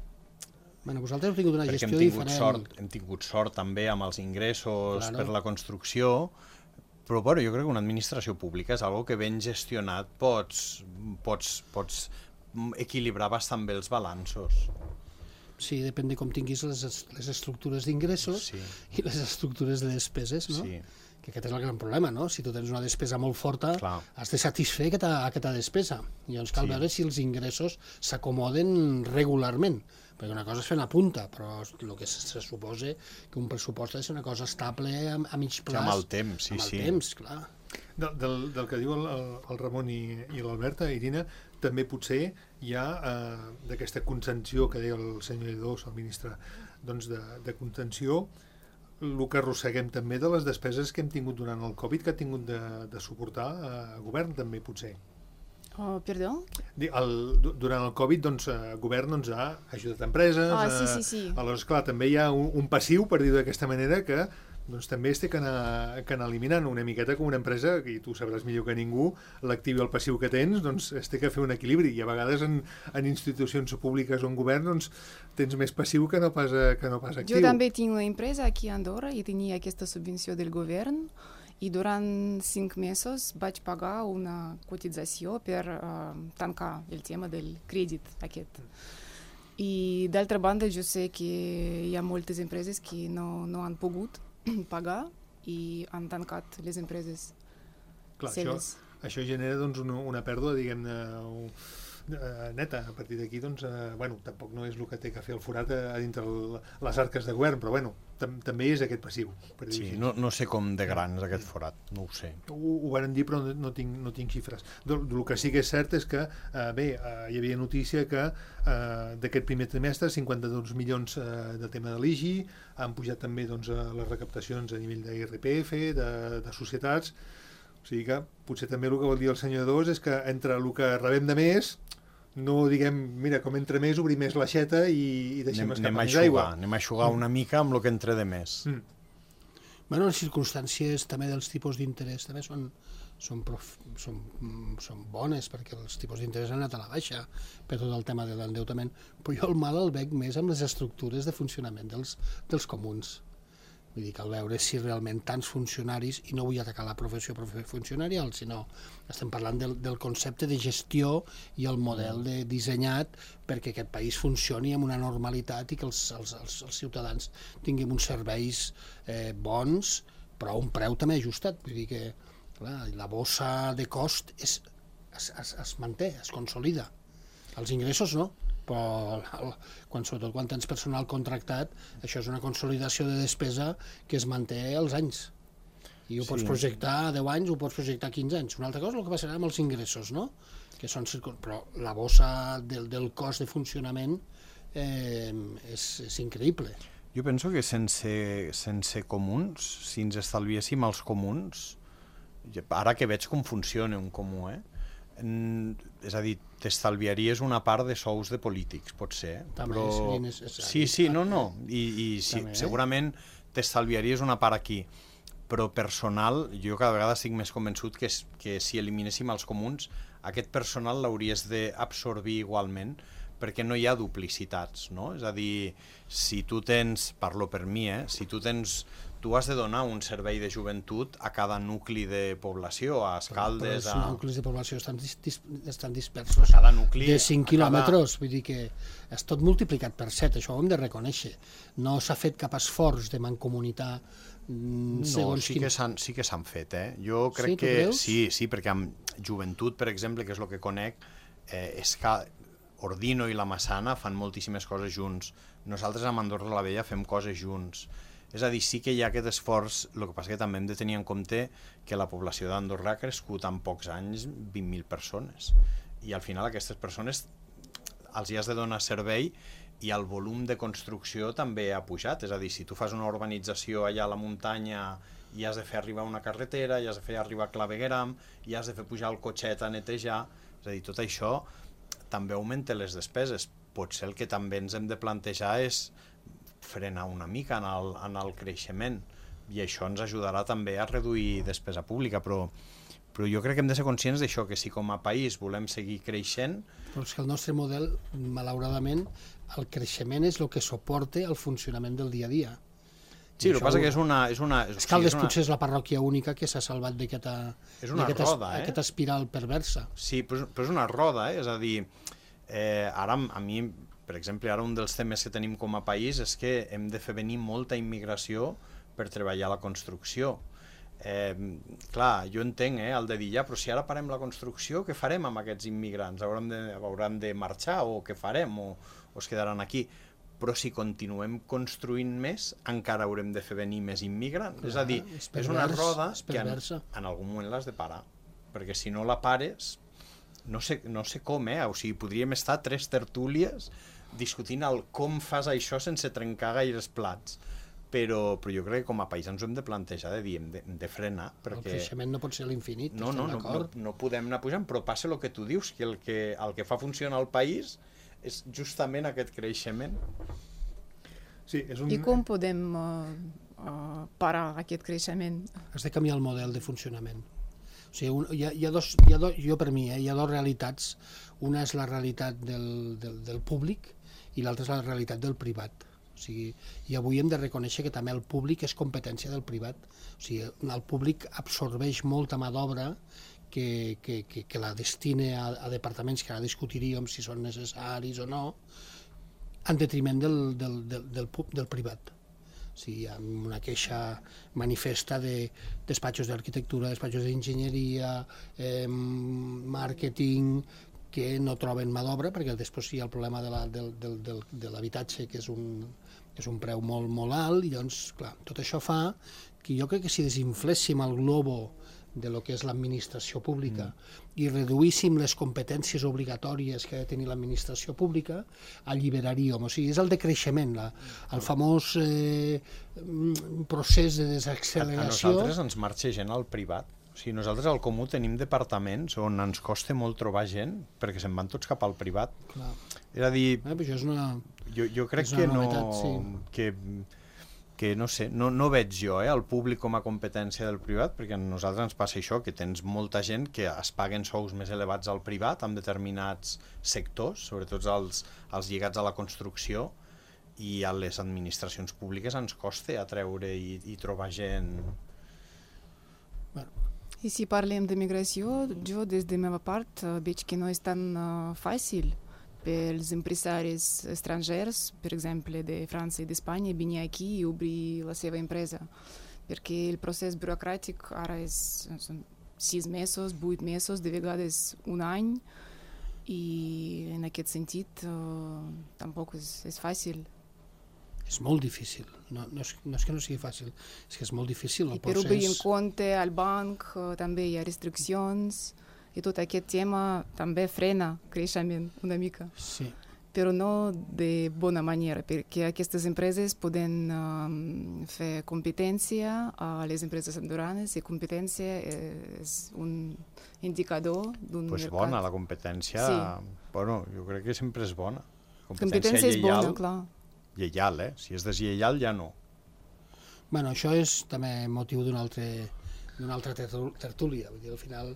Speaker 4: Bueno, vosaltres heu tingut una gestió
Speaker 5: hem tingut
Speaker 4: diferent.
Speaker 5: Sort, hem tingut sort també amb els ingressos
Speaker 4: claro.
Speaker 5: Per la construcció, però bueno, jo crec que una administració pública és algo que ben gestionat pots, pots, pots equilibrar bastant bé els balanços.
Speaker 4: Sí, depèn de com tinguis les, les estructures d'ingressos sí. I les estructures de despeses, no? Sí. Que aquest és el gran problema, no? Si tu tens una despesa molt forta, clar. Has de satisfer aquesta, aquesta despesa. I llavors cal sí. veure si els ingressos s'acomoden regularment. Perquè una cosa és fer una punta, però el que se suposa que un pressupost ha de ser una cosa estable a, a mig plaç.
Speaker 5: Sí, amb el temps, sí,
Speaker 4: amb el
Speaker 5: sí.
Speaker 4: temps, clar.
Speaker 2: Del, del, del que diu el, el Ramon i, i l'Alberta, Irina, també potser hi ha eh, d'aquesta contenció que deia el senyor Lledós, el ministre, doncs de, de contenció, el que arrosseguem també de les despeses que hem tingut durant el Covid, que ha tingut de, de suportar el govern també, potser.
Speaker 3: Oh, perdó?
Speaker 2: El, durant el Covid, doncs, el govern doncs, ha ajudat empreses.
Speaker 3: Ah, sí, sí, sí.
Speaker 2: A, aleshores, clar, també hi ha un, un passiu, per dir-ho d'aquesta manera, que doncs, també es té que anar, que anar eliminant una miqueta com una empresa, i tu sabràs millor que ningú, l'actiu i el passiu que tens, doncs es té que fer un equilibri, i a vegades en, en institucions públiques o en govern doncs, tens més passiu que no pas, que no pas actiu.
Speaker 3: Jo també tinc una empresa aquí a Andorra i tenia aquesta subvenció del govern, i durant cinc mesos vaig pagar una cotització per uh, tancar el tema del crèdit aquest. I d'altra banda jo sé que hi ha moltes empreses que no, no han pogut pagar i han tancat les empreses.
Speaker 2: Clar, això, això genera doncs, una, una pèrdua, diguem-ne, eh, neta. A partir d'aquí, doncs, eh, bueno, tampoc no és el que té que fer el forat a, a dintre el, les arques de govern, però bueno, tam també és aquest passiu. Per dir
Speaker 5: Sí, no, no sé com de gran és aquest forat, no ho sé.
Speaker 2: Ho, ho van dir, però no, no, tinc, no tinc xifres. El que sí que és cert és que, eh, bé, eh, hi havia notícia que eh, d'aquest primer trimestre cinquanta-dos milions eh, de tema de l'I G I, han pujat també doncs, les recaptacions a nivell d'I R P F, de, de societats, o sigui que potser també el que vol dir el senyor Dos és que entre el que rebem de més, no diguem, mira, com entre més, obrim més l'aixeta i, i deixem
Speaker 5: Anem,
Speaker 2: escapar
Speaker 5: anem, a
Speaker 2: més
Speaker 5: eixugar,
Speaker 2: aigua.
Speaker 5: anem a eixugar una mica amb el que entre de més.
Speaker 2: Mm.
Speaker 4: Bueno, les circumstàncies també dels tipus d'interès també són, són, prof, són, són bones, perquè els tipus d'interès han anat a la baixa per tot el tema de l'endeutament, però jo el mal el veig més amb les estructures de funcionament dels, dels comuns. Vull dir que al veure si realment tants funcionaris, i no vull atacar la professió funcionarial, sinó estem parlant del, del concepte de gestió i el model de dissenyat perquè aquest país funcioni amb una normalitat i que els, els, els, els ciutadans tinguin uns serveis eh, bons, però a un preu també ajustat. Vull dir que clar, la bossa de cost és, es, es, es manté, es consolida. Els ingressos no, però quan, sobretot quan tens personal contractat, això és una consolidació de despesa que es manté als anys. I ho pots
Speaker 5: Sí.
Speaker 4: projectar a deu anys, ho pots projectar a quinze anys. Una altra cosa és el que passarà amb els ingressos, no? Que són, però la bossa del, del cost de funcionament eh, és, és increïble.
Speaker 5: Jo penso que sense, sense comuns, si ens estalviéssim els comuns, ara que veig com funciona un comú, eh? En, és a dir, t'estalviaries una part de sous de polítics, potser,
Speaker 4: També
Speaker 5: però...
Speaker 4: seria necessari.
Speaker 5: Sí, sí, no, no, i, i sí,
Speaker 4: També, eh?
Speaker 5: segurament t'estalviaries una part aquí, però personal, jo cada vegada estic més convençut que, que si eliminéssim els comuns, aquest personal l'hauries d'absorbir igualment, perquè no hi ha duplicitats, no? És a dir, si tu tens, parlo per mi, eh? Si tu tens, tu has de donar un servei de joventut a cada nucli de població, a Escaldes,
Speaker 4: Però
Speaker 5: a...
Speaker 4: els nuclis de població estan, dis, dis, estan dispersos
Speaker 5: Cada nucli,
Speaker 4: de cinc
Speaker 5: a
Speaker 4: quilòmetres, vull dir que és tot multiplicat per set, això ho hem de reconèixer. No s'ha fet cap esforç de mancomunitar mm,
Speaker 5: No,
Speaker 4: segons
Speaker 5: sí
Speaker 4: quin...
Speaker 5: que s'han sí que s'han fet, eh? Jo crec
Speaker 4: Sí, tu
Speaker 5: que...
Speaker 4: creus?
Speaker 5: Sí, sí, perquè amb joventut, per exemple, que és el que conec, eh, és que Ordino i la Massana fan moltíssimes coses junts. Nosaltres amb Andorra la Vella fem coses junts. És a dir, sí que hi ha aquest esforç, el que passa que també hem de tenir en compte que la població d'Andorra ha crescut en pocs anys vint mil persones. I al final aquestes persones els hi has de donar servei i el volum de construcció també ha pujat. És a dir, si tu fas una urbanització allà a la muntanya i has de fer arribar una carretera, i has de fer arribar clavegueram, i has de fer pujar el cotxet a netejar, és a dir, tot això també augmenta les despeses. Potser el que també ens hem de plantejar és frenar una mica en el, en el creixement, i això ens ajudarà també a reduir despesa pública, però, però jo crec que hem de ser conscients d'això, que si com a país volem seguir creixent...
Speaker 4: Però és que el nostre model, malauradament, el creixement és el que suporta el funcionament del dia a dia.
Speaker 5: Sí, el que
Speaker 4: això
Speaker 5: passa
Speaker 4: ho-
Speaker 5: que és una... És una és,
Speaker 4: Escaldes
Speaker 5: sí, és una,
Speaker 4: potser és la parròquia única que s'ha salvat d'aquesta
Speaker 5: És una
Speaker 4: d'aquesta es-
Speaker 5: roda, eh?
Speaker 4: aquesta espiral perversa.
Speaker 5: Sí, però, és- però és una roda, eh? És a dir, eh, ara a mi, per exemple, ara un dels temes que tenim com a país és que hem de fer venir molta immigració per treballar a la construcció. Eh, clar, jo entenc, eh, el de dir, ja, però si ara parem la construcció, què farem amb aquests immigrants? Hauran de, hauran de marxar o què farem? O, o es quedaran aquí? Però si continuem construint més, encara haurem de fer venir més immigrants.
Speaker 4: Clar,
Speaker 5: és a dir,
Speaker 4: és
Speaker 5: és una
Speaker 4: pervers,
Speaker 5: roda
Speaker 4: és
Speaker 5: que en,
Speaker 4: perversa.
Speaker 5: en algun moment l'has de parar, perquè si no la pares, no sé, no sé com, eh? O sigui, podríem estar tres tertúlies discutint el com fas això sense trencar gaires plats. Però, però jo crec que com a país ens ho hem de plantejar, de dir, hem de, hem de frenar,
Speaker 4: El
Speaker 5: perquè...
Speaker 4: creixement no pot ser l'infinit,
Speaker 5: No, no,
Speaker 4: estem
Speaker 5: no, no,
Speaker 4: d'acord?
Speaker 5: no podem anar pujant, però passa el que tu dius, que el que, el que fa funcionar el país és justament aquest creixement.
Speaker 2: Sí, és un...
Speaker 3: I com podem uh, uh, parar aquest creixement?
Speaker 4: Has de canviar el model de funcionament. O sigui, un, hi ha, hi ha dos, hi ha dos, jo per mi, eh, hi ha dues realitats. Una és la realitat del, del, del públic i l'altra és la realitat del privat. O sigui, i avui hem de reconèixer que també el públic és competència del privat. O sigui, el públic absorbeix molta mà d'obra que, que, que, que la destine a, a departaments que ara discutiríem si són necessaris o no, en detriment del, del, del, del, del privat. O sigui, hi ha una queixa manifesta de despatxos d'arquitectura, despatxos d'enginyeria, eh, màrqueting, que no troben mà d'obra, perquè després hi ha el problema de la, del, del, del, de l'habitatge, que és un, és un preu molt, molt alt, i llavors, clar, tot això fa que jo crec que si desinfléssim el globo de lo que és l'administració pública mm. i reduíssim les competències obligatòries que ha de tenir l'administració pública, alliberaríem. O sigui, és el decreixement, la, el famós eh, procés de desacceleració.
Speaker 5: A nosaltres ens marxa gent al privat. O sigui, nosaltres al Comú tenim departaments on ens costa molt trobar gent perquè se'n van tots cap al privat.
Speaker 4: Clar.
Speaker 5: És a dir,
Speaker 4: eh, això és una,
Speaker 5: jo, jo crec
Speaker 4: és una
Speaker 5: que no...
Speaker 4: novetat, sí.
Speaker 5: que, que no sé, no, no veig jo eh, el públic com a competència del privat, perquè a nosaltres ens passa això, que tens molta gent que es paguen sous més elevats al privat en determinats sectors, sobretot els, els lligats a la construcció, i a les administracions públiques ens costa atreure i, i trobar gent...
Speaker 4: Bueno.
Speaker 3: I si parlem de migració, jo des de meva part veig que no és tan uh, fàcil pels empresaris estrangers, per exemple, de França i d'Espanya, venir aquí i obrir la seva empresa. Perquè el procés burocràtic ara és, són sis mesos, vuit mesos, de vegades un any, i en aquest sentit uh, tampoc és, és fàcil.
Speaker 4: És molt difícil. No, no, és, no és que no sigui fàcil, és que és molt difícil el
Speaker 3: I per
Speaker 4: procés.
Speaker 3: obrir un compte al banc uh, també hi ha restriccions, i tot aquest tema també frena creixement una mica.
Speaker 4: Sí.
Speaker 3: Però no de bona manera, perquè aquestes empreses poden um, fer competència a les empreses andorranes, i competència és un indicador d'un
Speaker 5: pues
Speaker 3: mercat.
Speaker 5: Bona, la competència,
Speaker 3: sí.
Speaker 5: Bueno, jo crec que sempre és bona.
Speaker 3: Competència, competència és bona, clar.
Speaker 5: Lleial, eh? Si és deslleial, ja no.
Speaker 4: Bueno, això és també motiu d'una altra, d'una altra tertúlia. Vull dir, al final,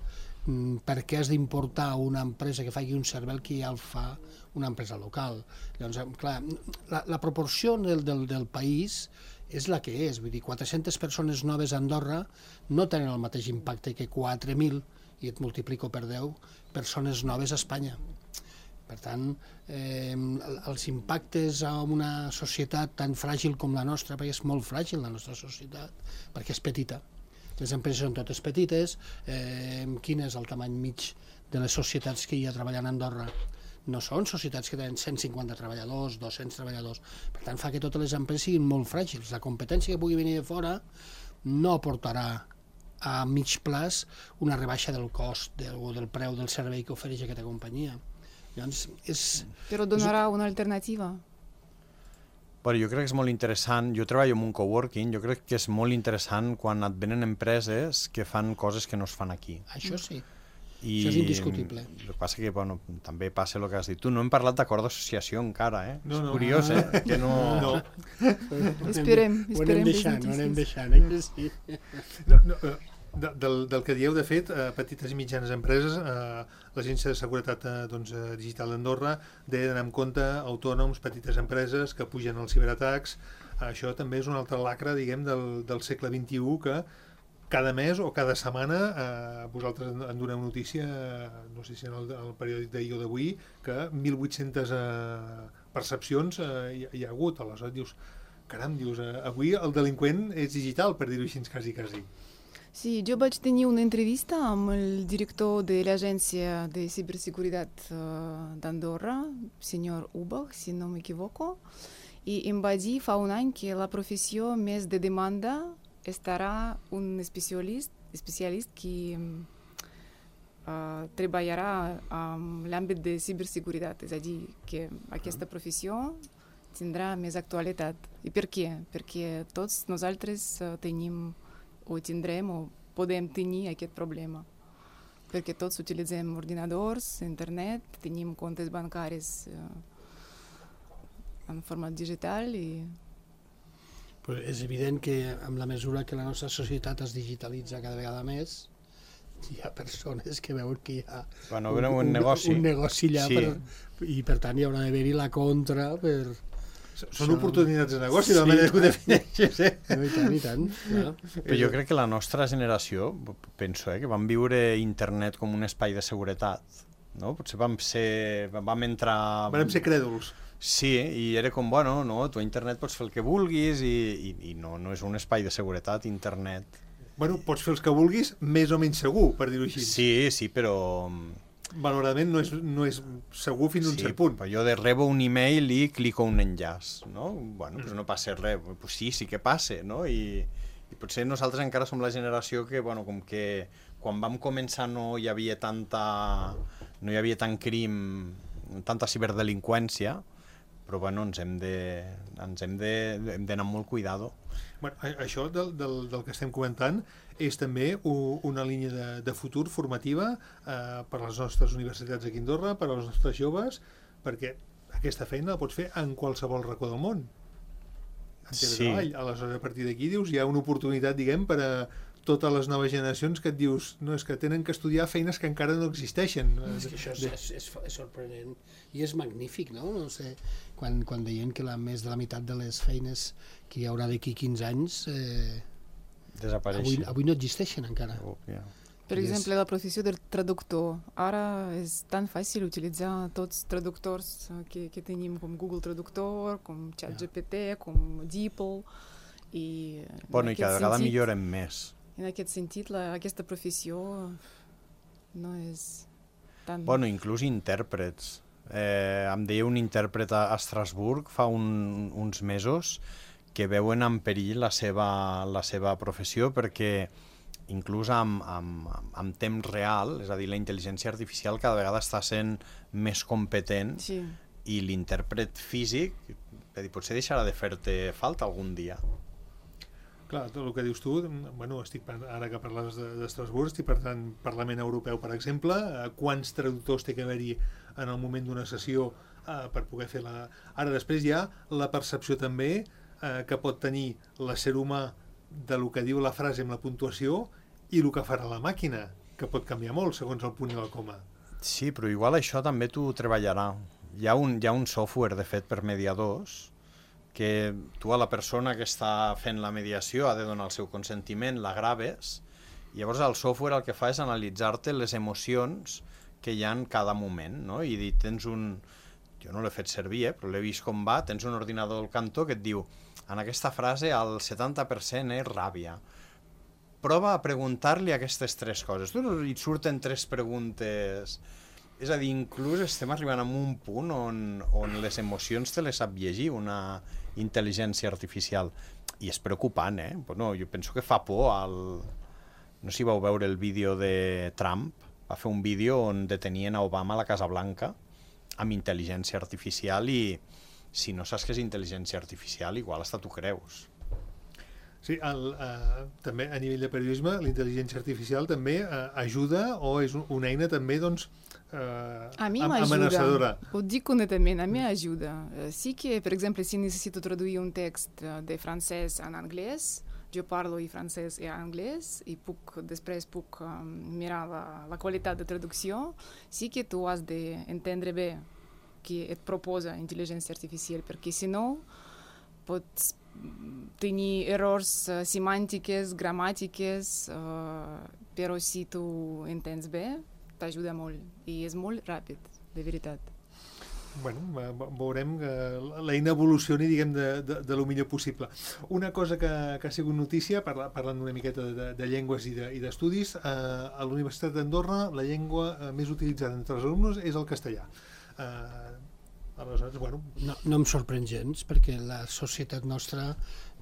Speaker 4: per què has d'importar una empresa que faci un servei que ja el fa una empresa local? Llavors, clar, la, la proporció del, del, del país és la que és. Vull dir, quatre-centes persones noves a Andorra no tenen el mateix impacte que quatre mil, i et multiplico per deu, persones noves a Espanya. Per tant, eh, els impactes a una societat tan fràgil com la nostra, perquè és molt fràgil la nostra societat, perquè és petita. Les empreses són totes petites. Eh, quin és el tamany mig de les societats que hi ha treballant a Andorra? No són societats que tenen cent cinquanta treballadors, dos-cents treballadors. Per tant, fa que totes les empreses siguin molt fràgils. La competència que pugui venir de fora no aportarà a mig plaç una rebaixa del cost del, o del preu del servei que ofereix aquesta companyia. Llavors, és...
Speaker 3: Però donarà una alternativa.
Speaker 5: Bueno, jo crec que és molt interessant, jo treballo en un coworking, jo crec que és molt interessant quan et venen empreses que fan coses que no es fan aquí.
Speaker 4: Això sí,
Speaker 5: I
Speaker 4: això és indiscutible.
Speaker 5: El que passa que, bueno, també passa el que has dit tu, no hem parlat d'acord d'associació encara, eh?
Speaker 2: No, no.
Speaker 5: És curiós, eh? Que no...
Speaker 2: No.
Speaker 3: Esperem,
Speaker 4: Ho anem
Speaker 3: esperem
Speaker 4: deixant, ho anem
Speaker 3: les
Speaker 4: deixant, eh? Sí.
Speaker 2: No, no, eh, de, del, del que dieu, de fet, eh, petites i mitjanes empreses, eh, l'Agència de Seguretat eh, doncs, eh, Digital d'Andorra deia d'anar amb compte autònoms, petites empreses que pugen als ciberatacs. Eh, això també és un altre lacre, diguem, del, del segle vint-i-u, que cada mes o cada setmana eh, vosaltres en doneu notícia, eh, no sé si en el, el periòdic d'ahir o d'avui, que mil vuit-centes eh, percepcions eh, hi, hi ha hagut. Aleshores dius, caram, dius, eh, avui el delinqüent és digital, per dir-ho així, quasi, quasi.
Speaker 3: Sí, jo vaig tenir una entrevista amb el director de l'Agència de Ciberseguretat uh, d'Andorra, senyor Ubach, si no m'equivoco, i em va dir fa un any que la professió més de demanda estarà un especialist, especialist que uh, treballarà en l'àmbit de ciberseguretat, és a dir, que aquesta professió tindrà més actualitat. I per què? Perquè tots nosaltres uh, tenim o tindrem o podem tenir aquest problema. Perquè tots utilitzem ordinadors, internet, tenim comptes bancaris eh, en format digital i...
Speaker 4: Però és evident que amb la mesura que la nostra societat es digitalitza cada vegada més, hi ha persones que veuen que hi ha
Speaker 5: bueno, un, un, un negoci,
Speaker 4: un negoci allà sí. per, i per tant hi haurà d'haver-hi la contra per...
Speaker 2: Són oportunitats de negoci, de la manera que ho defineixes, eh?
Speaker 4: No, i tant, i tant. Ja.
Speaker 5: Però jo crec que la nostra generació, penso, eh, que vam viure internet com un espai de seguretat, no? Potser vam ser... vam entrar...
Speaker 2: Vam ser crèduls.
Speaker 5: Sí, i era com, bueno, no, tu a internet pots fer el que vulguis i, i, i no, no és un espai de seguretat, internet.
Speaker 2: Bueno, pots fer els que vulguis, més o menys segur, per dir-ho així.
Speaker 5: Sí, sí, però...
Speaker 2: malauradament no és, no és segur fins a un
Speaker 5: sí,
Speaker 2: cert punt.
Speaker 5: Però jo de rebo un email i clico un enllaç, no? Bueno, doncs no passa res, pues sí, sí que passa, no? I, i potser nosaltres encara som la generació que, bueno, com que quan vam començar no hi havia tanta, no hi havia tant crim, tanta ciberdelinqüència, però bueno, ens hem de, ens hem de, hem d'anar amb molt cuidado.
Speaker 2: Bueno, això del, del, del que estem comentant és també u, una línia de, de futur formativa eh, per a les nostres universitats aquí a Andorra, per als nostres joves, perquè aquesta feina la pots fer en qualsevol racó del món. En
Speaker 5: Sí.
Speaker 2: Aleshores, a partir d'aquí dius, hi ha una oportunitat, diguem, per a totes les noves generacions que et dius, no, és que tenen que estudiar feines que encara no existeixen.
Speaker 4: És que això és, és, és, és sorprenent i és magnífic, no? No sé, quan, quan deien que la, més de la meitat de les feines que hi haurà d'aquí quinze anys eh,
Speaker 5: Desapareixen.
Speaker 4: avui, avui no existeixen encara.
Speaker 5: Oh, yeah.
Speaker 3: Per exemple, la professió del traductor. Ara és tan fàcil utilitzar tots els traductors que, que tenim, com Google Traductor, com ChatGPT, com DeepL. I
Speaker 5: Bueno, i cada vegada millorem més.
Speaker 3: En aquest sentit, la, aquesta professió no és tan...
Speaker 5: Bueno, inclús intèrprets. Eh, em deia un intèrpret a Estrasburg fa un, uns mesos que veuen en perill la seva, la seva professió perquè inclús amb, amb, amb temps real, és a dir, la intel·ligència artificial cada vegada està sent més competent
Speaker 3: Sí.
Speaker 5: i l'intèrpret físic és a dir, potser deixarà de fer-te falta algun dia.
Speaker 2: Clar, tot el que dius tu, bueno, estic, ara que parles d'Estrasburg, estic parlant Parlament Europeu, per exemple, eh, quants traductors té que haver-hi en el moment d'una sessió eh, per poder fer la... Ara després hi ha la percepció també eh, que pot tenir l'ésser humà de lo que diu la frase amb la puntuació i el que farà la màquina, que pot canviar molt segons el punt i la coma.
Speaker 5: Sí, però igual això també t'ho treballarà. Hi ha un, hi ha un software, de fet, per mediadors, que tu a la persona que està fent la mediació ha de donar el seu consentiment, la graves, i llavors el software el que fa és analitzar-te les emocions que hi ha en cada moment, no? I dir, tens un... Jo no l'he fet servir, eh, però l'he vist com va, tens un ordinador al cantó que et diu en aquesta frase el setanta per cent és ràbia. Prova a preguntar-li aquestes tres coses. Tu i et surten tres preguntes... És a dir, inclús estem arribant a un punt on, on les emocions te les sap llegir una intel·ligència artificial. I és preocupant, eh? Bueno, jo penso que fa por al... No sé si vau veure el vídeo de Trump. Va fer un vídeo on detenien a Obama a la Casa Blanca amb intel·ligència artificial i si no saps què és intel·ligència artificial, igual hasta tu creus.
Speaker 2: Sí, el, eh, també a nivell de periodisme la intel·ligència artificial també eh, ajuda o és una eina també doncs, eh,
Speaker 3: A mi
Speaker 2: amenaçadora.
Speaker 3: m'ajuda, ho dic honestament, a mi ajuda. Eh, Sí que, per exemple, si necessito traduir un text eh, de francès en anglès, jo parlo i francès i anglès i puc, després puc um, mirar la, la qualitat de traducció. Sí que tu has d'entendre bé què et proposa intel·ligència artificial, perquè si no pots tenir errors uh, semàntiques, gramàtiques, uh, però si tu entens bé, t'ajuda molt i és molt ràpid, de veritat.
Speaker 2: Bueno, veurem que l'eina evolucioni, diguem, de, de, de lo millor possible. Una cosa que, que ha sigut notícia, parla, parlant una miqueta de, de llengües i d'estudis, de, eh, a la Universitat d'Andorra la llengua eh, més utilitzada entre els alumnes és el castellà. Eh, aleshores, bueno...
Speaker 4: No, no em sorprèn gens, perquè la societat nostra,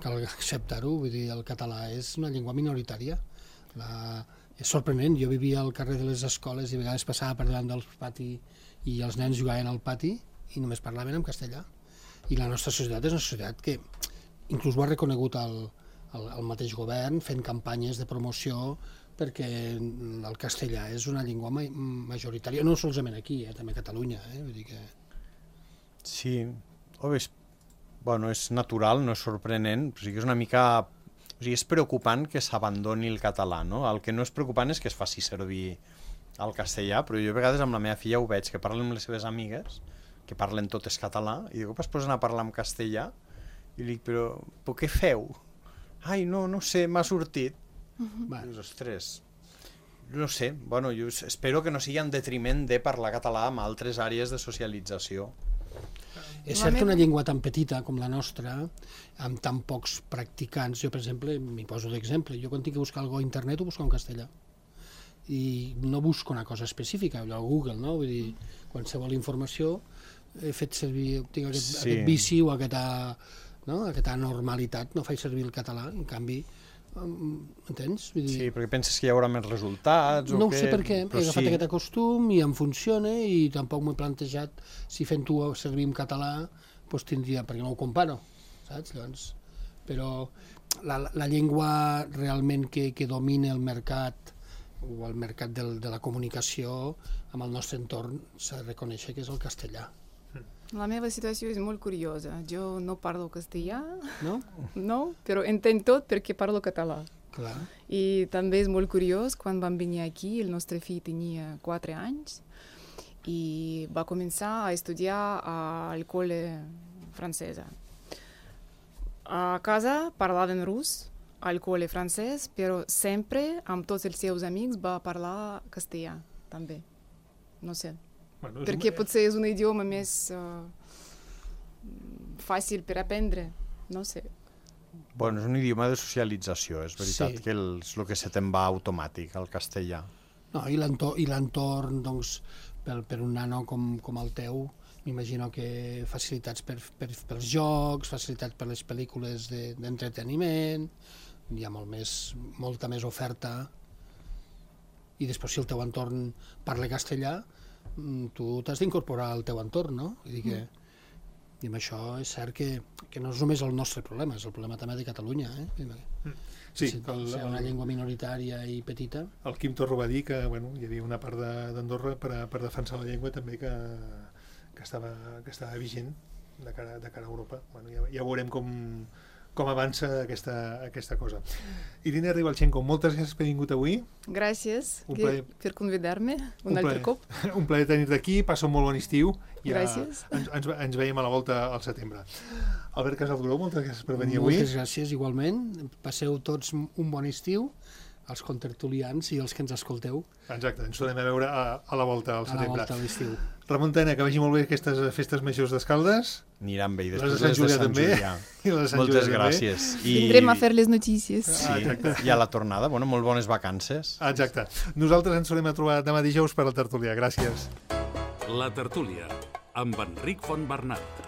Speaker 4: cal acceptar-ho, vull dir, el català és una llengua minoritària. La... És sorprenent, jo vivia al carrer de les escoles i a vegades passava per davant del pati i els nens jugaven al pati i només parlaven en castellà. I la nostra societat és una societat que inclús ho ha reconegut el, el, el mateix govern fent campanyes de promoció perquè el castellà és una llengua ma majoritària, no solament aquí, eh, també a Catalunya. Eh, vull dir que...
Speaker 5: Sí, o és, bueno, és natural, no és sorprenent, però sí que és una mica... O sigui, és preocupant que s'abandoni el català, no? El que no és preocupant és que es faci servir el castellà, però jo a vegades amb la meva filla ho veig, que parlen amb les seves amigues, que parlen totes català, i de cop es posen a parlar en castellà, i li dic, però, però què feu? Ai, no, no sé, m'ha sortit. Uh-huh. I dius, ostres, no sé, bueno, jo espero que no sigui en detriment de parlar català en altres àrees de socialització.
Speaker 4: És cert que una llengua tan petita com la nostra, amb tan pocs practicants, jo per exemple, m'hi poso d'exemple, jo quan tinc que buscar alguna cosa a internet ho busco en castellà. i no busco una cosa específica, allò a Google, no? Vull dir, qualsevol informació he fet servir, tinc aquest,
Speaker 5: Sí.
Speaker 4: aquest vici o aquesta, no? aquesta normalitat, no faig servir el català, en canvi, em- entens? Vull dir,
Speaker 5: Sí, perquè penses que hi haurà més resultats?
Speaker 4: no
Speaker 5: o
Speaker 4: ho sé
Speaker 5: què?
Speaker 4: per què, he
Speaker 5: Però
Speaker 4: agafat
Speaker 5: sí.
Speaker 4: aquest costum i em funciona i tampoc m'he plantejat si fent-ho servir en català doncs tindria, perquè no ho comparo, saps? Llavors, però la, la llengua realment que, que domina el mercat o el mercat del, de la comunicació amb el nostre entorn s'ha de reconèixer que és el castellà,
Speaker 3: La meva situació és molt curiosa. Jo no parlo castellà,
Speaker 4: no?
Speaker 3: no, però entenc tot perquè parlo català.
Speaker 4: Clar.
Speaker 3: I també és molt curiós, quan vam venir aquí, el nostre fill tenia quatre anys i va començar a estudiar al col·le francesa. A casa parlaven rus, al col·le francès, però sempre amb tots els seus amics va parlar castellà, també. No sé.
Speaker 2: Bueno, és
Speaker 3: Perquè
Speaker 2: un-
Speaker 3: potser és un idioma més uh, fàcil per aprendre, no sé.
Speaker 5: Bueno, és un idioma de socialització, és veritat
Speaker 4: Sí.
Speaker 5: que el, és el que se te'n va automàtic, el castellà.
Speaker 4: No, i l'entorn, i l'entorn, doncs, per, per un nano com, com el teu, m'imagino que facilitats per, per, pels jocs, facilitats per les pel·lícules de- d'entreteniment, hi ha molt més, molta més oferta, i després si el teu entorn parla castellà, mm, tu t'has d'incorporar al teu entorn, no? Vull dir que, i amb això és cert que, que no és només el nostre problema, és el problema també de Catalunya, eh?
Speaker 2: Sí,
Speaker 4: si,
Speaker 2: que el,
Speaker 4: si una
Speaker 2: el,
Speaker 4: llengua minoritària i petita,
Speaker 2: el Quim Torra va dir que bueno, hi havia una part de- d'Andorra per, a- per defensar la llengua també que, que, estava, que estava vigent de cara, de cara a Europa. Bueno, ja, ja veurem com, com avança aquesta, aquesta cosa. Irina Ribalchenko, moltes gràcies per haver vingut avui.
Speaker 3: Gràcies
Speaker 2: Un
Speaker 3: que-
Speaker 2: plaer.
Speaker 3: per convidar-me un,
Speaker 2: Un
Speaker 3: altre
Speaker 2: plaer.
Speaker 3: cop.
Speaker 2: Un plaer tenir-te aquí, passa un molt bon estiu. Ja
Speaker 3: Gràcies.
Speaker 2: Ens, ens, ens veiem a la volta al setembre. Albert Casalduró, moltes gràcies per venir avui.
Speaker 4: moltes gràcies igualment, passeu tots un bon estiu, els contertulians i els que ens escolteu
Speaker 2: Exacte, ens tornem a veure a, a la volta al
Speaker 4: a la
Speaker 2: setembre.
Speaker 4: volta a l'estiu.
Speaker 2: Ramon Tena, que vagi molt bé aquestes festes majors d'Escaldes.
Speaker 5: Aniran bé, i
Speaker 2: Les
Speaker 5: després
Speaker 2: de Sant
Speaker 5: les de
Speaker 2: Julià
Speaker 5: Sant
Speaker 2: també.
Speaker 5: Julià.
Speaker 2: I les de Sant
Speaker 5: Moltes
Speaker 2: Julià també.
Speaker 5: gràcies. I,
Speaker 3: Vindrem a fer les notícies.
Speaker 5: Sí,
Speaker 2: Ah, exacte.
Speaker 5: i a la tornada, bueno, molt bones vacances.
Speaker 2: Exacte. Nosaltres ens tornem a trobar demà dijous per al Tertulià. Gràcies.
Speaker 1: La Tertúlia, amb Enric Fontbernat.